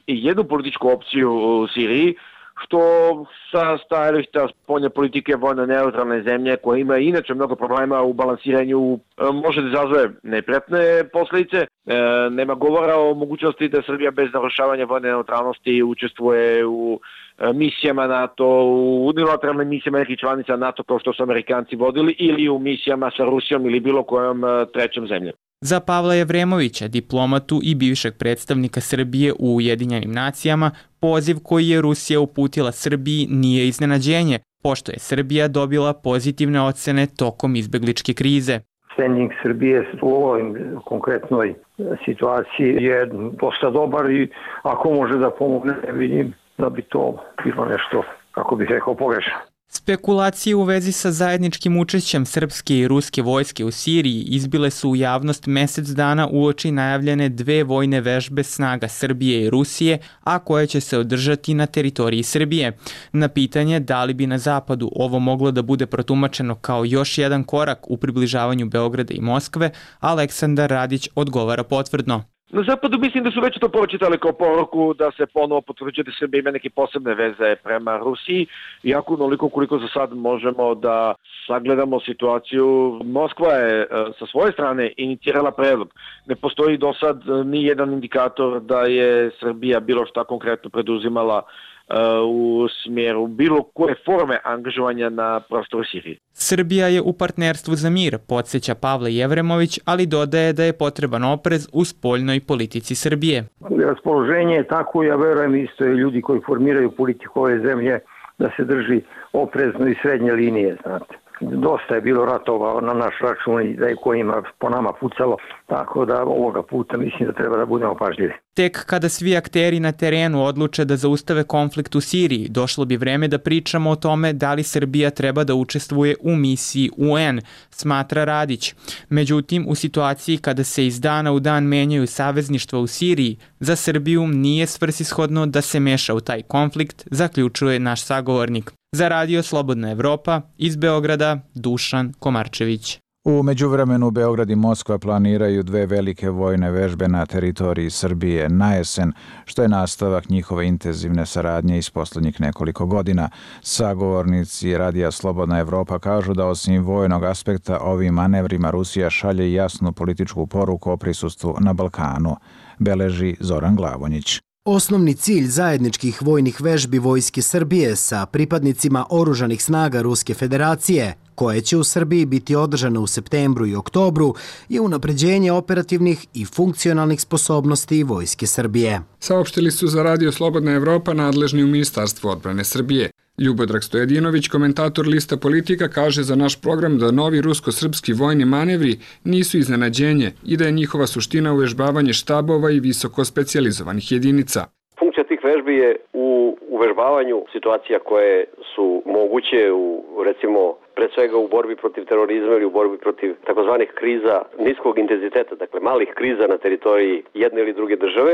Speaker 18: jednu političku opciju u Siriji, što sa stajališta spoljne politike vojno neutralne zemlje koja ima inače mnogo problema u balansiranju može da izazove neprijatne posljedice. Nema govora o mogućnosti da Srbija bez narušavanja vojne neutralnosti učestvuje u misijama NATO, u unilateralnim misijama nekih članica NATO kao što su Amerikanci vodili ili u misijama sa Rusijom ili bilo kojom trećom zemljom.
Speaker 16: Za Pavla Jevremovića, diplomatu i bivšeg predstavnika Srbije u Ujedinjenim nacijama, poziv koji je Rusija uputila Srbiji nije iznenađenje, pošto je Srbija dobila pozitivne ocene tokom izbegličke krize.
Speaker 19: Standing Srbije u ovoj konkretnoj situaciji je dosta dobar i ako može da pomogne, ne vidim da bi to bilo nešto, kako bih rekao, pogrešno.
Speaker 16: Spekulacije u vezi sa zajedničkim učešćem srpske i ruske vojske u Siriji izbile su u javnost mesec dana uoči najavljene 2 vojne vežbe snaga Srbije i Rusije, a koje će se održati na teritoriji Srbije. Na pitanje da li bi na zapadu ovo moglo da bude protumačeno kao još jedan korak u približavanju Beograda i Moskve, Aleksandar Radić odgovara potvrdno.
Speaker 18: Na zapadu mislim da su već to pročitali kao poruku da se ponovo potvrđuje da Srbija ima neke posebne veze prema Rusiji, iako onoliko koliko za sad možemo da sagledamo situaciju. Moskva je sa svoje strane inicirala predlog. Ne postoji do sad ni jedan indikator da je Srbija bilo šta konkretno preduzimala u smjeru bilo koje forme angažovanja na prostoru Sirije.
Speaker 16: Srbija je u partnerstvu za mir, podsjeća Pavle Jevremović, ali dodaje da je potreban oprez u spoljnoj politici Srbije.
Speaker 19: Raspoloženje je tako, ja verujem isto i ljudi koji formiraju politiku ove zemlje da se drži oprezno i srednje linije, znate. Dosta je bilo ratova na naš račun i da je kojima po nama pucalo, tako da ovoga puta mislim da treba da budemo pažljivi.
Speaker 16: Tek kada svi akteri na terenu odluče da zaustave konflikt u Siriji, došlo bi vreme da pričamo o tome da li Srbija treba da učestvuje u misiji UN, smatra Radić. Međutim, u situaciji kada se iz dana u dan menjaju savezništva u Siriji, za Srbiju nije svrsishodno da se meša u taj konflikt, zaključuje naš sagovornik. Za Radio Slobodna Evropa, iz Beograda, Dušan Komarčević.
Speaker 4: U međuvremenu Beograd i Moskva planiraju 2 velike vojne vežbe na teritoriji Srbije na jesen, što je nastavak njihove intenzivne saradnje iz poslednjih nekoliko godina. Sagovornici Radija Slobodna Evropa kažu da osim vojnog aspekta ovim manevrima Rusija šalje jasnu političku poruku o prisustvu na Balkanu, beleži Zoran Glavonjić.
Speaker 17: Osnovni cilj zajedničkih vojnih vežbi Vojske Srbije sa pripadnicima oružanih snaga Ruske federacije, koje će u Srbiji biti održane u septembru i oktobru, je unapređenje operativnih i funkcionalnih sposobnosti Vojske Srbije.
Speaker 20: Saopštili su za Radio Slobodna Evropa nadležni u Ministarstvu odbrane Srbije. Ljubodrag Stojadinović, komentator Lista Politika, kaže za naš program da novi rusko-srpski vojni manevri nisu iznenađenje i da je njihova suština uvežbavanje štabova i visoko specijalizovanih jedinica.
Speaker 22: Funkcija tih vežbi je u uvežbavanju situacija koje su moguće recimo pre svega u borbi protiv terorizma ili u borbi protiv takozvanih kriza niskog intenziteta, dakle malih kriza na teritoriji jedne ili druge države,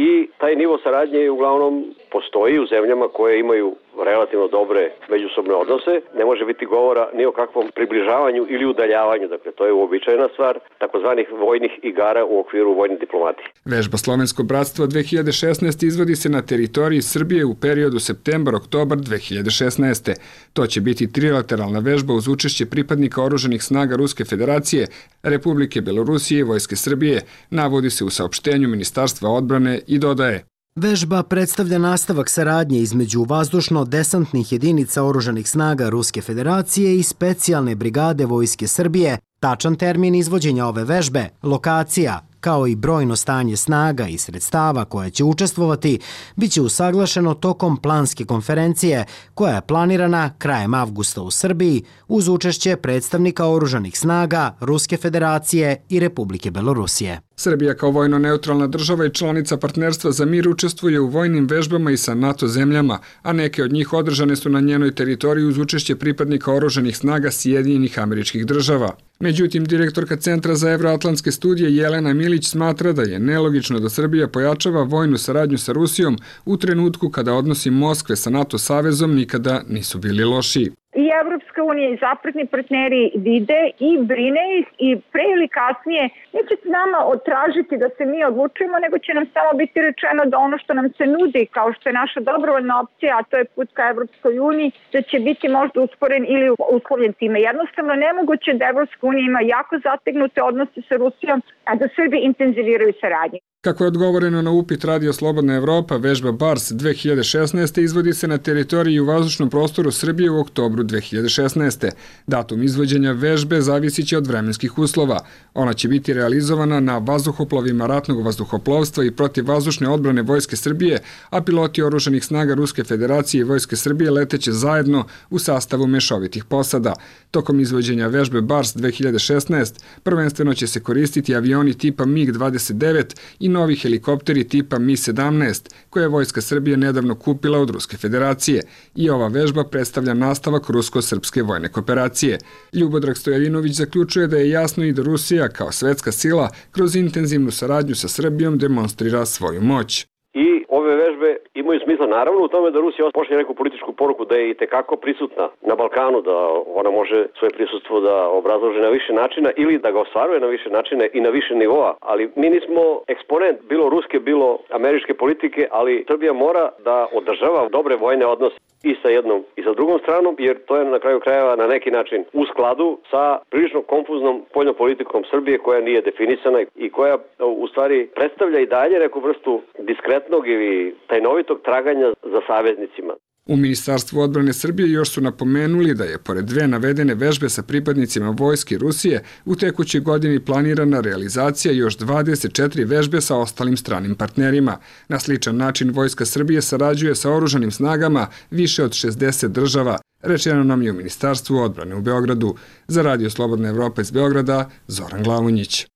Speaker 22: i taj nivo saradnje uglavnom postoji u zemljama koje imaju relativno dobre međusobne odnose. Ne može biti govora ni o kakvom približavanju ili udaljavanju, dakle to je uobičajena stvar takozvanih vojnih igara u okviru vojne diplomatije.
Speaker 20: Vežba Slovensko bratstvo 2016 izvodi se na teritoriji Srbije u periodu septembar-oktobar 2016. To će biti trilateralna vežba uz učešće pripadnika oružanih snaga Ruske federacije, Republike Belorusije i Vojske Srbije, navodi se u saopštenju Ministarstva odbrane i dodaje:
Speaker 17: Vežba predstavlja nastavak saradnje između vazdušno-desantnih jedinica oružanih snaga Ruske federacije i specijalne brigade Vojske Srbije. Tačan termin izvođenja ove vežbe, lokacija, kao i brojno stanje snaga i sredstava koje će učestvovati, biće usaglašeno tokom planske konferencije koja je planirana krajem avgusta u Srbiji uz učešće predstavnika oružanih snaga Ruske federacije i Republike Belorusije.
Speaker 20: Srbija kao vojno neutralna država i članica Partnerstva za mir učestvuje u vojnim vežbama i sa NATO zemljama, a neke od njih održane su na njenoj teritoriji uz učešće pripadnika oružanih snaga Sjedinjenih Američkih Država. Međutim, direktorka Centra za evroatlantske studije Jelena Milić smatra da je nelogično da Srbija pojačava vojnu saradnju sa Rusijom u trenutku kada odnosi Moskve sa NATO savezom nikada nisu bili lošiji.
Speaker 23: I Evropska unija i zapadni partneri vide i brine ih i pre ili kasnije neće nama otražiti da se mi odlučujemo, nego će nam samo biti rečeno da ono što nam se nudi, kao što je naša dobrovoljna opcija, a to je put ka Evropskoj uniji, da će biti možda usporen ili uslovljen time. Jednostavno nemoguće da Evropska unija ima jako zategnute odnose sa Rusijom, a da Srbi intenziviraju saradnju.
Speaker 20: Kako je odgovoreno na upit Radio Slobodna Evropa, vežba BARS 2016. izvodi se na teritoriji u vazdušnom prostoru Srbije u oktobru 2016. Datum izvođenja vežbe zavisit će od vremenskih uslova. Ona će biti realizovana na vazduhoplovima ratnog vazduhoplovstva i protivvazdušne odbrane Vojske Srbije, a piloti oružanih snaga Ruske federacije i Vojske Srbije leteće zajedno u sastavu mešovitih posada. Tokom izvođenja vežbe BARS 2016 prvenstveno će se koristiti avioni tipa MiG-29 i novi helikopteri tipa Mi-17, koje je Vojska Srbije nedavno kupila od Ruske federacije, i ova vežba predstavlja nastavak rusko-srpske vojne kooperacije. Ljubodrag Stojadinović zaključuje da je jasno i da Rusija kao svetska sila kroz intenzivnu saradnju sa Srbijom demonstrira svoju moć.
Speaker 22: I ove vežbe imaju smisla naravno u tome da Rusija pošalje neku političku poruku da je i tekako prisutna na Balkanu, da ona može svoje prisustvo da obrazloži na više načina ili da ga ostvaruje na više načina i na više nivoa, ali mi nismo eksponent bilo ruske, bilo američke politike, ali Srbija mora da održava dobre vojne odnose i sa jednom i sa drugom stranom, jer to je na kraju krajeva na neki način u skladu sa prilično konfuznom spoljnom politikom Srbije koja nije definisana i koja u stvari predstavlja i dalje neku vrstu diskretnog ili tajnovitog traganja za saveznicima.
Speaker 20: U Ministarstvu odbrane Srbije još su napomenuli da je pored dve navedene vežbe sa pripadnicima vojske Rusije u tekućoj godini planirana realizacija još 24 vežbe sa ostalim stranim partnerima. Na sličan način Vojska Srbije sarađuje sa oružanim snagama više od 60 država, rečeno nam je u Ministarstvu odbrane u Beogradu. Za Radio Slobodna Evropa iz Beograda, Zoran Glavonjić.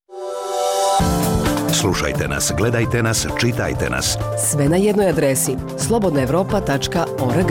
Speaker 2: Slušajte nas, gledajte nas, čitajte nas.
Speaker 3: Sve na jednoj adresi slobodnaevropa.org.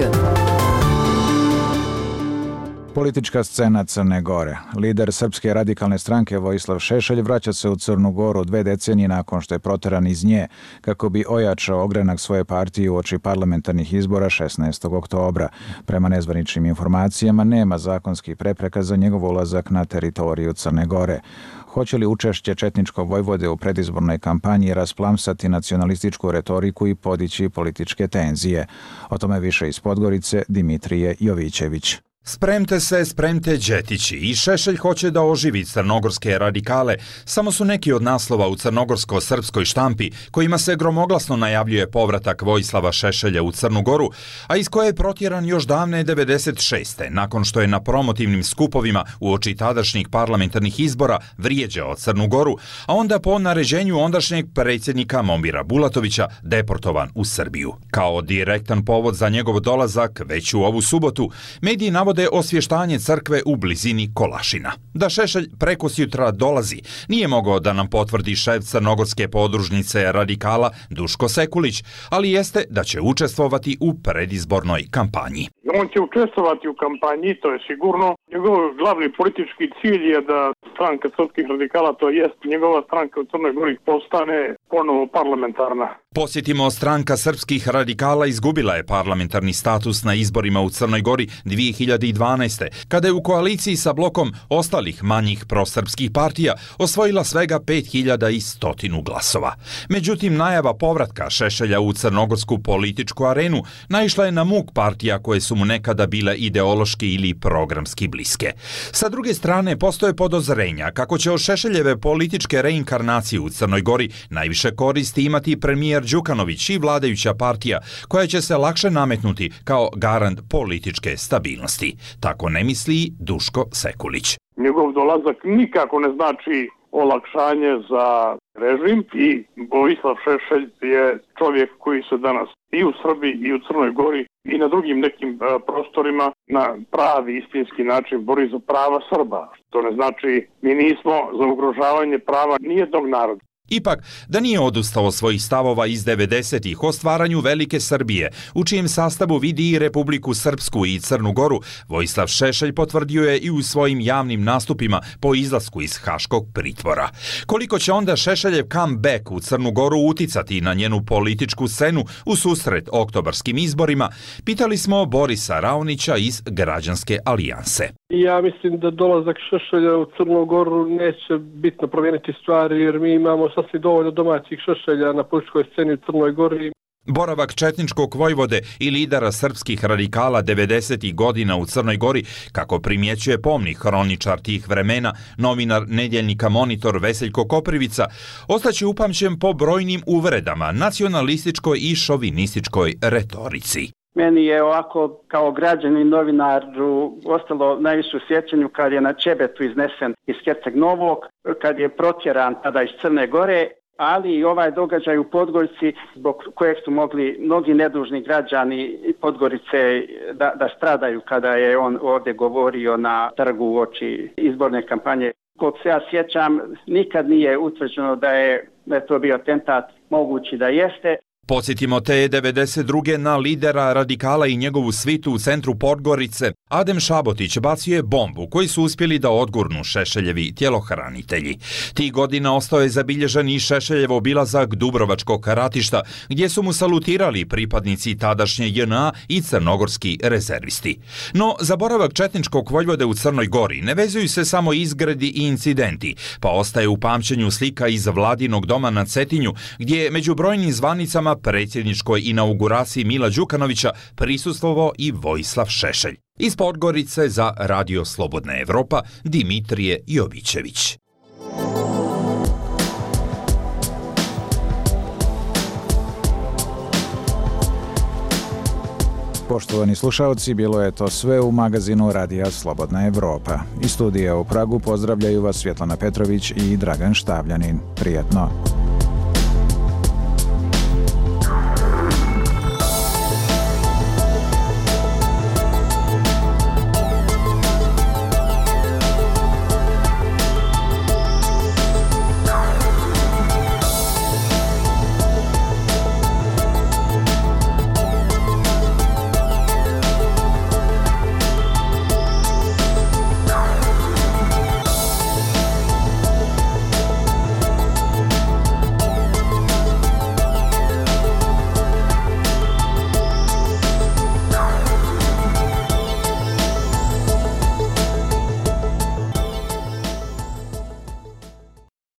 Speaker 4: Politička scena Crne Gore. Lider Srpske radikalne stranke Vojislav Šešelj vraća se u Crnu Goru 2 decenije nakon što je proteran iz nje, kako bi ojačao ogranak svoje partije uoči parlamentarnih izbora 16. oktobra. Prema nezvaničnim informacijama nema zakonskih prepreka za njegov ulazak na teritoriju Crne Gore. Hoće li učešće četničkog vojvode u predizbornoj kampanji rasplamsati nacionalističku retoriku i podići političke tenzije? O tome više iz Podgorice Dimitrije Jovićević.
Speaker 1: Spremte se, spremte Đetići i Šešelj hoće da oživi crnogorske radikale, samo su neki od naslova u crnogorsko-srpskoj štampi kojima se gromoglasno najavljuje povratak Vojislava Šešelja u Crnu Goru, a iz koje je protjeran još davne 96. nakon što je na promotivnim skupovima uoči tadašnjih parlamentarnih izbora vrijeđao Crnu Goru, a onda po naređenju ondašnjeg predsjednika Momira Bulatovića deportovan u Srbiju. Kao direktan povod za njegov dolazak već u ovu subotu, mediji navode osvještanje crkve u blizini Kolašina. Da Šešelj prekosjutra dolazi, nije mogao da nam potvrdi šef crnogorske podružnice radikala Duško Sekulić, ali jeste da će učestvovati u predizbornoj kampanji.
Speaker 5: On će učestvovati u kampanji, to je sigurno. Njegov glavni politički cilj je da stranka srpskih radikala, to jest njegova stranka u Crnoj Gori, postane ponovo parlamentarna.
Speaker 1: Posjetimo, stranka srpskih radikala izgubila je parlamentarni status na izborima u Crnoj Gori 2012. kada je u koaliciji sa blokom ostalih manjih prosrpskih partija osvojila svega 5100 glasova. Međutim, najava povratka Šešelja u crnogorsku političku arenu naišla je na muk partija koje su mu nekada bile ideološki ili programski bliske. Sa druge strane, postoje podozrenja kako će od Šešeljeve političke reinkarnacije u Crnoj Gori najviše koristi imati premijer Đukanović i vladajuća partija, koja će se lakše nametnuti kao garant političke stabilnosti. Tako ne misli Duško Sekulić.
Speaker 5: Njegov dolazak nikako ne znači olakšanje za režim i Vojislav Šešelj je čovjek koji se danas i u Srbiji i u Crnoj Gori i na drugim nekim prostorima na pravi istinski način bori za prava Srba. To ne znači mi nismo za ugrožavanje prava nijednog naroda.
Speaker 1: Ipak, da nije odustao svojih stavova iz 90-ih o stvaranju Velike Srbije, u čijem sastavu vidi i Republiku Srpsku i Crnu Goru, Vojislav Šešelj potvrdio je i u svojim javnim nastupima po izlasku iz haškog pritvora. Koliko će onda Šešeljev comeback u Crnu Goru uticati na njenu političku scenu u susret oktobarskim izborima, pitali smo Borisa Raonića iz Građanske alijanse.
Speaker 7: Ja mislim da dolazak Šešelja u Crnu Goru neće bitno promijeniti stvari, jer mi imamo sasvim dovoljno domaćih Šešelja na političkoj sceni u Crnoj Gori.
Speaker 1: Boravak četničkog vojvode i lidera srpskih radikala 90. godina u Crnoj Gori, kako primjećuje pomni hroničar tih vremena, novinar nedjeljnika Monitor Veseljko Koprivica, ostaće upamćen po brojnim uvredama, nacionalističkoj i šovinističkoj retorici.
Speaker 24: Meni je ovako kao građanin novinar ostalo najviše u sjećanju kad je na Čebetu iznesen iz Herceg Novog, kad je protjeran tada iz Crne Gore, ali i ovaj događaj u Podgorici zbog kojeg su mogli mnogi nedužni građani Podgorice da stradaju kada je on ovdje govorio na trgu uoči izborne kampanje. Koliko se ja sjećam, nikad nije utvrđeno da je to bio atentat, mogući da jeste.
Speaker 1: Podsjetimo te 92. na lidera radikala i njegovu svitu u centru Podgorice. Adem Šabotić bacio je bombu koju su uspjeli da odgurnu Šešeljevi tjelohranitelji. Tih godina ostao je zabilježen i Šešeljev obilazak Dubrovačkog ratišta, gdje su mu salutirali pripadnici tadašnje JNA i crnogorski rezervisti. No, za boravak četničkog vojvode u Crnoj Gori ne vezuju se samo izgredi i incidenti, pa ostaje u pamćenju slika iz Vladinog doma na Cetinju, gdje je među brojnim zvanicama predsjedničkoj inauguraciji Mila Đukanovića prisustvovao i Vojislav Šešelj. Iz Podgorice za Radio Slobodna Evropa, Dimitrije Jovićević.
Speaker 4: Poštovani slušaoci, bilo je to sve u magazinu Radija Slobodna Evropa. Iz studija u Pragu pozdravljaju vas Svjetlana Petrović i Dragan Štavljanin. Prijatno.